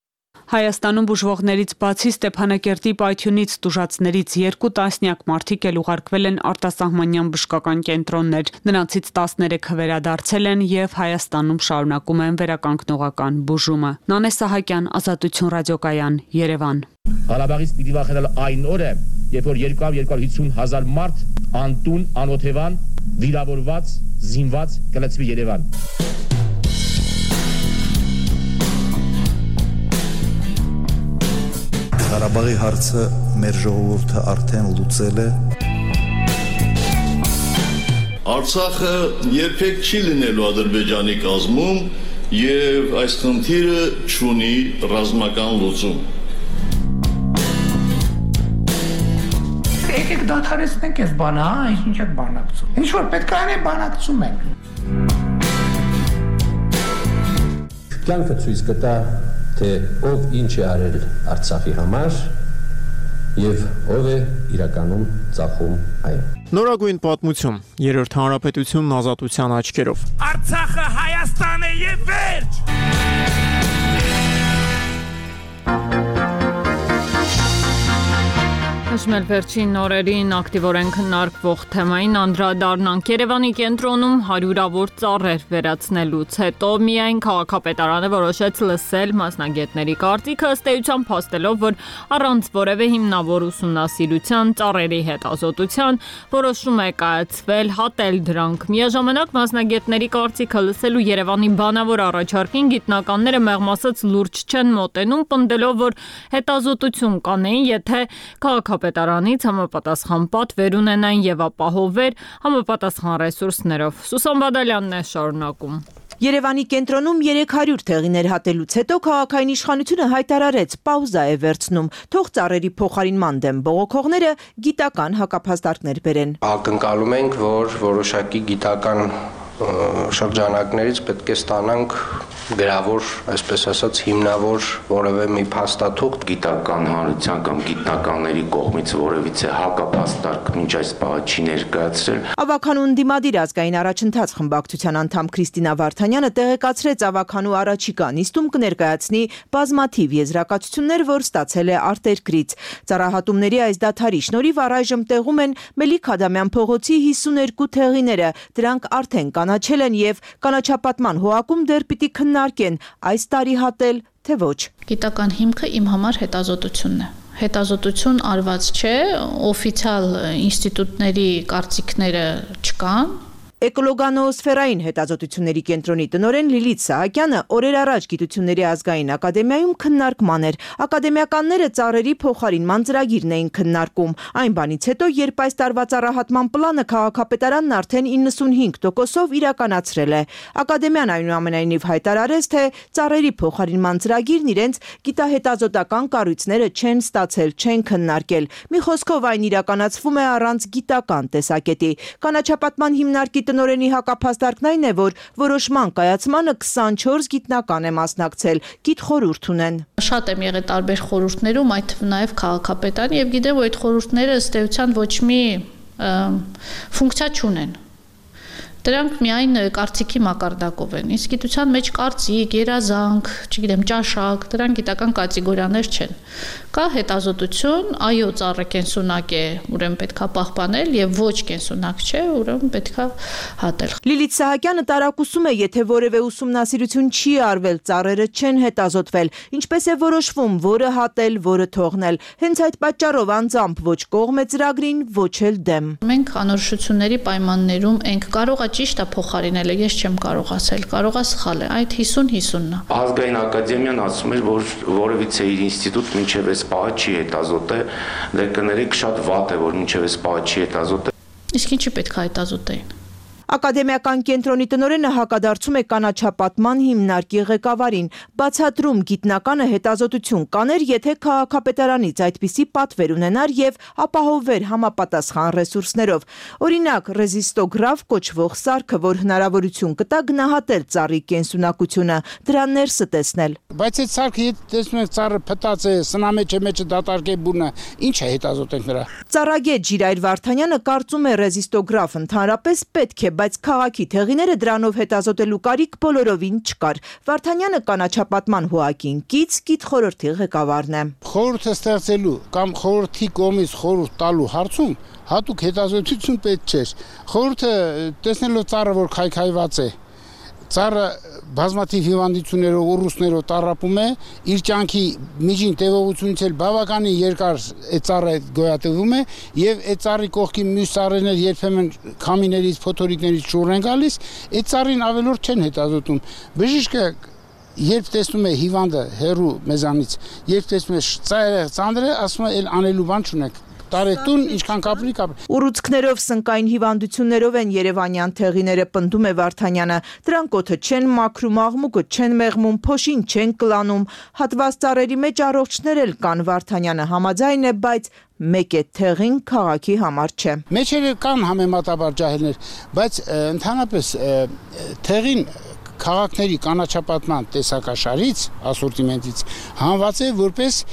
Հայաստանում բուժվողներից բացի Ստեփանակերտի Պայթյունից տուժածներից 2 տասնյակ մարդիկ էլ ուղարկվել են արտասահմանյան բժշկական կենտրոններ։ Նրանցից 13 վերադարձել են եւ Հայաստանում շարունակում են վերականգնողական բուժումը։ Նանե Սահակյան, Ազատություն ռադիոկայան, Երևան։ Ղարաբաղից պիտի վախենալ այն օրը, երբ որ 250,000 մարդ անտուն, անօթևան, վիրավորված, զինված կլցվի Երևան։ Ղարաբաղի հարցը մեր ժողովուրդը արդեն լուծել է։ Արցախը երբեք չի լինելու Ադրբեջանի կազմում եւ այս խնդիրը չունի ռազմական լուծում։ Եկեք դադարեցնենք այս բանը, ինչ եք բանակցում։ Ինչ որ պետք է անենք, բանակցում ենք։ Կյանքը ցույց կտա, թե ով ինչ է արել Արցախի համար եւ ով է իրականում ծախում այն։ Նորագույն պատմություն, Երրորդ հանրապետությունն ազատության աչքերով։ Արցախը Հայաստան է եւ վերջ։ Հաշմել վերջին օրերին ակտիվորեն քննարկվող թեմային անդրադառնանք։ Երևանի կենտրոնում հարյուրավոր ծառեր վերացնելուց հետո միայն քաղաքապետարանը որոշեց լսել մասնագետների կարծիքը, ըստ էության փաստելով, որ առանց որևէ հիմնավոր ուսումնասիրության ծառերի հետազոտության որոշում է կայացվել հատել դրանք։ Միաժամանակ մասնագետների կարծիքը լսելու Երևանի բանավոր առաջարկին գիտնականները մեղմ ասած լուրջ չեն մոտենում, պնդելով, որ հետազոտություն կանեին, եթե քաղաքապետարանից համապատասխան պատ վերունենային եւ ապահովեր համապատասխան ռեսուրսներով։ Սուսան Բադալյանն է շարունակում։ Երևանի կենտրոնում 300 թեղիներ հատելուց հետո քաղաքային իշխանությունը հայտարարեց պաուզա է վերցնում, թող ծառերի փոխարինման դեմ բողոքողները գիտական հակափաստարկներ բերեն։ Ակնկալում ենք, որ որոշակի գիտական շրջանակներից պետք է ստանանք գրավոր, այսպես ասած, հիմնավոր որևէ մի փաստաթուղթ գիտական հանրության կամ գիտնականների կողմից որևիցե հակապաստարկ մինչ այս պահը չի ներկայացրել։ Ավագանու ընդդիմադիր ազգային առաջընթաց խմբակցության անդամ Քրիստինա Վարդանյանը տեղեկացրեց ավագանու առաջիկա նիստում կներկայացնի բազմաթիվ եզրակացություններ, որ ստացել է արտերկրից։ Ծառահատումների այս դադարի շնորհիվ առայժմ տեղում են Մելիք Ադամյան փողոցի 52 թեղիները, դրանք արդեն կանաչել են եւ կանաչապատման հոակում դեռ պիտի քննարկեն այս տարի հատել, թե ոչ։ Գիտական հիմքը իմ համար հետազոտությունն է։ Հետազոտություն արված չէ, օֆիցիալ ինստիտուտների կարծիքները չկան։ Էկոլոգանոոսֆերային հետազոտությունների կենտրոնի տնօրեն Լիլիթ Սահակյանը օրեր առաջ Գիտությունների ազգային ակադեմիայում քննարկման էր։ Ակադեմիականները ծառերի փոխարինման ծրագիրն էին քննարկում։ Այն բանից հետո, երբ այս տարվա ծառահատման պլանը քաղաքապետարանն արդեն 95%-ով իրականացրել է։ Ակադեմիան այնուամենայնիվ հայտարարեց, թե ծառերի փոխարինման ծրագիրն իրենց գիտահետազոտական կառույցները չեն ստացել, չեն քննարկել։ Մի խոսքով այն իրականացվում է առանց գիտական տեսակետի։ Կանաչապատման հիմնարկի տնօրենի հակափաստարկն այն է, որ որոշման կայացմանը 24 գիտնական է մասնակցել, գիտխորհուրդ ունեն։ Շատ եմ եղել տարբեր խորհուրդներում, այդ թվում նաև քաղաքապետարանի, եւ գիտեմ, որ այդ խորհուրդները ըստ էության ոչ մի ֆունկցիա չունեն։ Դրանք միայն կարծիքի մակարդակով են։ Իսկ գիտության մեջ կարծիք, երազանք, չգիտեմ, ճաշակ, դրանք գիտական կատեգորիաներ չեն։ Կա հետազոտություն, այո, ծառը կենսունակ է, ուրեմն պետքա պահպանել, եւ ոչ կենսունակ չէ, ուրեմն պետքա հատել։ Լիլիթ Սահակյանը տարակուսում է, եթե որևէ ուսումնասիրություն չի արվել, ծառերը չեն հետազոտվել, ինչպես է որոշվում, որը հատել, որը թողնել։ Հենց այդ պատճառով անձամբ ոչ կողմ է ծրագրին, ոչ էլ դեմ։ Մենք անորոշությունների պայմաններում ենք կարող ճիշտ է փոխարինելը, ես չեմ կարող ասել, կարող է սխալ է, այդ 50-50-ն է։ Ազգային ակադեմիան ասում էր, որ որևիցե իր ինստիտուտ մինչև այս պահը չի հետազոտել, դե կներեք շատ վատ է, որ մինչև այս պահը չի հետազոտել։ Իսկ ինչի պետք է հետազոտեին։ Ակադեմիական կենտրոնի տնօրենը հակադարձում է կանաչապատման հիմնարկի ղեկավարին, բացատրում գիտնականը հետազոտություն կաներ, եթե քաղաքապետարանից այդպիսի պատվեր ունենար եւ ապահովեր համապատասխան ռեսուրսներով։ Օրինակ, ռեզիստոգրաֆ կոչվող սարքը, որ հնարավորություն կտա գնահատել ծառի կենսունակությունը, դրա ներսը տեսնել։ Բայց այդ սարքը եթե տեսնում եք ծառը փտած է, սնամեջը մեջը դատարկե բունը, ինչ է հետազոտենք նրա։ Ծառագետ Ժիրայր Վարդանյանը կարծում է ռեզիստոգրաֆ ընդհանրապես պետք է բայց քաղաքի թեղիները դրանով հետազոտելու կարիք բոլորովին չկար։ Վարդանյանը կանաչապատման հոակին կից գիտխորհրդի ղեկավարն է։ Խորհուրդը ստեղծելու կամ խորհրդի կողմից խորհուրդ տալու հարցում հատուկ հետազոտություն պետք չէր։ Խորհուրդը տեսնելով ծառը, որ քայքայված է, ծառը բազմաթիվ հիվանդություններով, ուռուցքներով տառապում է, իր կյանքի միջին տևողությունից էլ բավականին երկար այդ ծառը գոյատևում է եւ այդ ծառի կողքի մյուս ծառերներ երբեմն քամիներից, փոթորիկներից շուռ են գալիս, այդ ծառին ավելորդ չեն հետազոտում։ Բժիշկը երբ տեսնում է հիվանդը հեռու մեզանից, երբ տեսնում է ծանրը, ասում է էլ անելու բան չունեք։ Տարետուն ինչքան կապրի։ Ուռուցքներով, սնկային հիվանդություններով են երևանյան թեղիները, պնդում է Վարդանյանը։ Դրանք օդը չեն մաքրում, աղմուկը չեն մեղմում, փոշին չեն կլանում։ Հատված ծառերի մեջ առողջներ էլ կան, Վարդանյանը համաձայն է, բայց մեկ է թեղին քաղաքի համար չէ։ Մեջերը կան համեմատաբար ջահելներ, բայց ընդհանրապես թեղին քաղաքների կանաչապատման տեսակաշարից, ասորտիմենտից հանված է որպես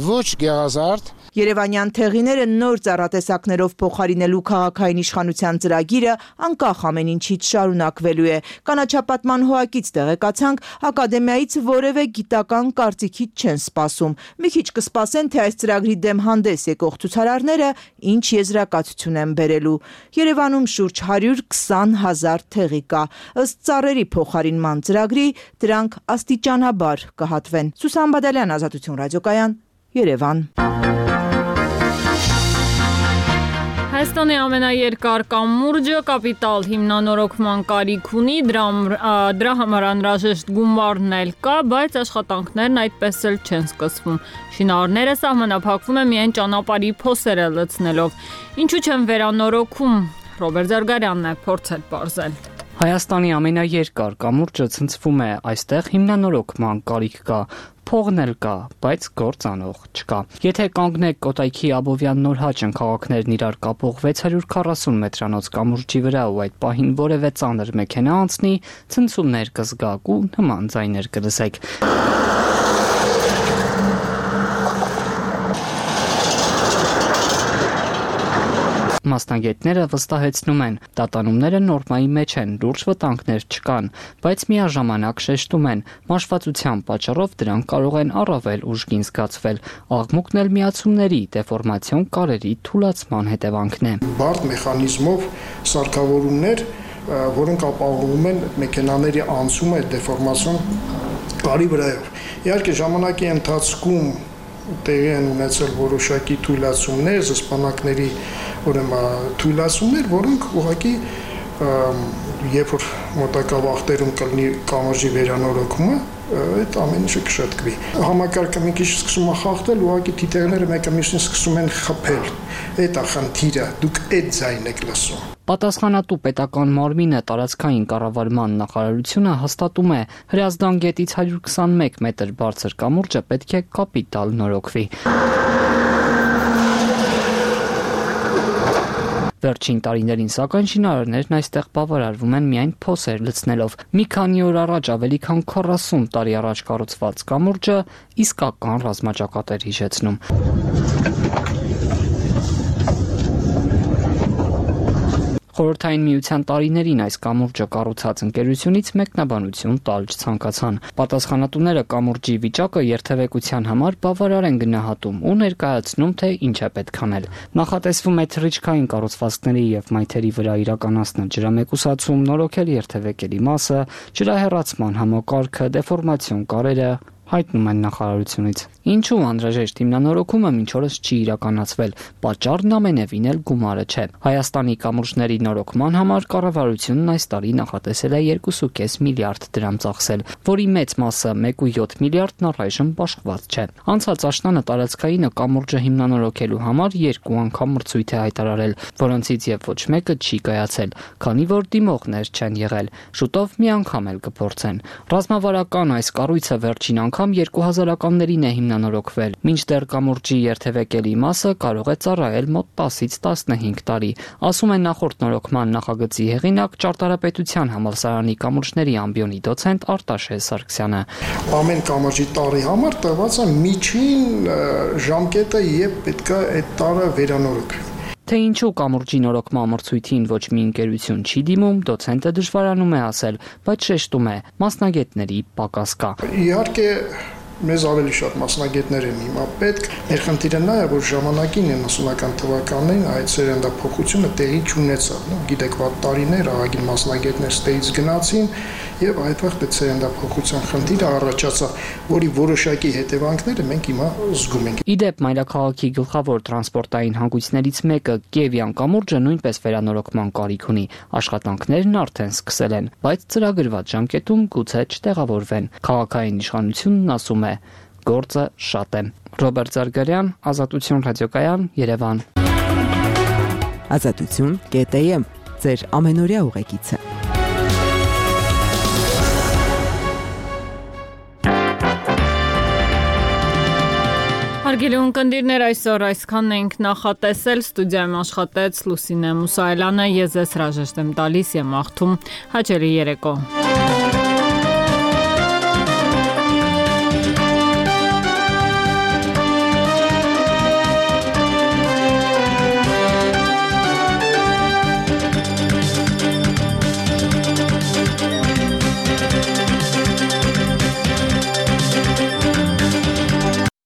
ոչ գեղազարդ։ Երևանյան թեղիները նոր ծառատեսակներով փոխարինելու քաղաքային իշխանության ծրագիրը անկախ ամեն ինչից շարունակվելու է։ Կանաչապատման հոակից տեղեկացանք, ակադեմիայից որևէ գիտական կարծիքից չեն սպասում։ Մի քիչ կսպասեն, թե այս ծրագրի դեմ հանդես եկող ցուցարարները ինչ եզրակացություն են բերելու։ Երևանում շուրջ 120,000 թեղի կա։ Ըստ ծառերի փոխարինման ծրագրի դրանք աստիճանաբար կհատվեն։ Սուսան Բադալյան, Ազատություն ռադիոկայան, Երևան։ Հայաստանի ամենաերկար կամուրջը կապիտալ հիմնանորոգման կարիք ունի, դրա համար անհրաժեշտ գումարն էլ կա, բայց աշխատանքներն այդպես էլ չեն սկսվում։ Շինարարները սահմանափակվում են միայն ճանապարհի փոսերը լցնելով։ Ինչու չեն վերանորոգում, Ռոբերտ Զարգարյանն է փորձել պարզել։ Հայաստանի ամենաերկար կամուրջը ցնցվում է, այստեղ հիմնանորոգման կարիք կա, փողն էլ կա, բայց գործանող չկա։ Եթե կանգնեք Կոտայքի Աբովյան Նորհաճն քաղաքներն իրար կապող 640 մետրանոց կամուրջի վրա ու այդ պահին որևէ ծանր մեքենա անցնի, ցնցումներ կզգաք ու նման ձայներ կլսեք։ Մասնագետները վստահեցնում են, տատանումները նորմայի մեջ են, լուրջ վտանգներ չկան, բայց միաժամանակ շեշտում են, մաշվածության պատճառով դրանք կարող են առավել ուժգին զգացվել, աղմուկն էլ միացումների, դեֆորմացիոն կարերի թուլացման հետևանքն է։ Բարդ մեխանիզմով սարքավորումներ, որոնք ապահովում են մեքենաների անցումը դեֆորմացիոն կարի վրայով։ Իհարկե ժամանակի ընթացքում տեղի են ունեցել որոշակի թույլատումներ, զսպանակների թույլատումներ, որոնք ուղղակի երբ որ մոտակա վաղտերում կլինի կամրջի վերանորոգումը, այդ ամեն ինչը կշտկվի։ Համակարգը մի քիչ սկսում է խախտել, ուղղակի թիթեղները մեկը մյուսին սկսում են խփել։ Այդ է խնդիրը, դուք այդ ձայնն եք լսում։ Պատասխանատու պետական մարմինը տարածքային կառավարման նախարարությունը հաստատում է, Հրազդան գետից 121 մետր բարձր կամուրջը պետք է կապիտալ նորոգվի։ Վերջին տարիներին սակայն շինարարներն այստեղ բավարարվում են միայն փոսեր լցնելով։ Մի քանի օր առաջ ավելի քան 40 տարի առաջ կառուցված կամուրջը իսկական ռազմաճակատ էր հիշեցնում։ Խորհրդային միության տարիներին այս կամուրջը կառուցած ընկերությունից մեկնաբանություն տալ չցանկացան։ Պատասխանատուները կամուրջի վիճակը երթևեկության համար բավարար են գնահատում ու ներկայացնում, թե ինչ է պետք անել։ Նախատեսվում է թռիչքային կառուցվածքների եւ մայթերի վրա իրականացնել ջրամեկուսացում, նորոգել երթևեկելի մասը, ջրահեռացման համակարգը, դեֆորմացիոն կարերը, հայտնում են նախարարությունից։ Ինչու անհրաժեշտ հիմնանորոգումը մինչ օրս չի իրականացվել, պատճառն ամենևին էլ գումարը չէ։ Հայաստանի կամուրջների նորոգման համար կառավարությունն այս տարի նախատեսել է 2.5 միլիարդ դրամ ծախսել, որի մեծ մասը 1.7 միլիարդն առայժմ բաշխված չէ։ Անցած աշնանը տարածքայինը կամուրջը հիմնանորոգելու համար 2 անգամ մրցույթ է հայտարարել, որոնցից եւ ոչ մեկը չի կայացել, քանի որ դիմողներ չեն եղել։ Շուտով մի անգամ էլ կփորձեն։ Ռազմավարական այս կառույցը վերջին անգամ 2000-ականներին է հիմնանորոգվել, մինչդեռ կամուրջի երթևեկելի մասը կարող է ծառայել մոտ 10-ից 15 տարի, ասում է նախորդ նորոգման նախագծի հեղինակ Ճարտարապետության համալսարանի կամուրջների ամբիոնի դոցենտ Արտաշես Սարգսյանը։ Ամեն կամրջի տարի համար տրված է միջին ժամկետը, երբ պետք է այդ տարը վերանորոգվի։ Թե ինչու կամուրջի նորոգման մրցույթին ոչ մի ընկերություն չի դիմում, դոցենտը դժվարանում է ասել, բայց շեշտում է, մասնագետների պակաս կա։ Իհարկե մեզ ավելի շատ մասնագետներ են հիմա պետք։ Մեր խնդիրը նա է, որ ժամանակին 90-ական թվականներին այդ սերնդափոխությունը տեղի չունեցավ։ Գիտեք, վատ տարիներ, ահագին մասնագետներ ստեից գնացին եւ այդտեղ այդ սերնդափոխության խնդիրը առաջացավ, որի որոշակի հետևանքները մենք հիմա զգում ենք։ Իդեպ մայրաքաղաքի գլխավոր տրանսպորտային հանգույցներից մեկը Կիևյան կամուրջը նույնպես վերանորոգման կարիք ունի։ Աշխատանքներն արդեն սկսել են, բայց ծրագրված ժամկետում գուցե չտեղավորվեն։ Քաղաքային իշխանությունն ասում է, գործը շատ է։ Ռոբերտ Զարգարյան, Ազատություն ռադիոկայան, Երևան։ Ազատություն.am ձեր ամենօրյա ուղեկիցը։ Հարգելի ունկնդիրներ, այսօր այսքանն ենք նախատեսել, ստուդիայում աշխատեց Լուսինե Մուսայելյանը, ես ձեզ հրաժեշտ եմ տալիս եւ մաղթում հաճելի երեկո։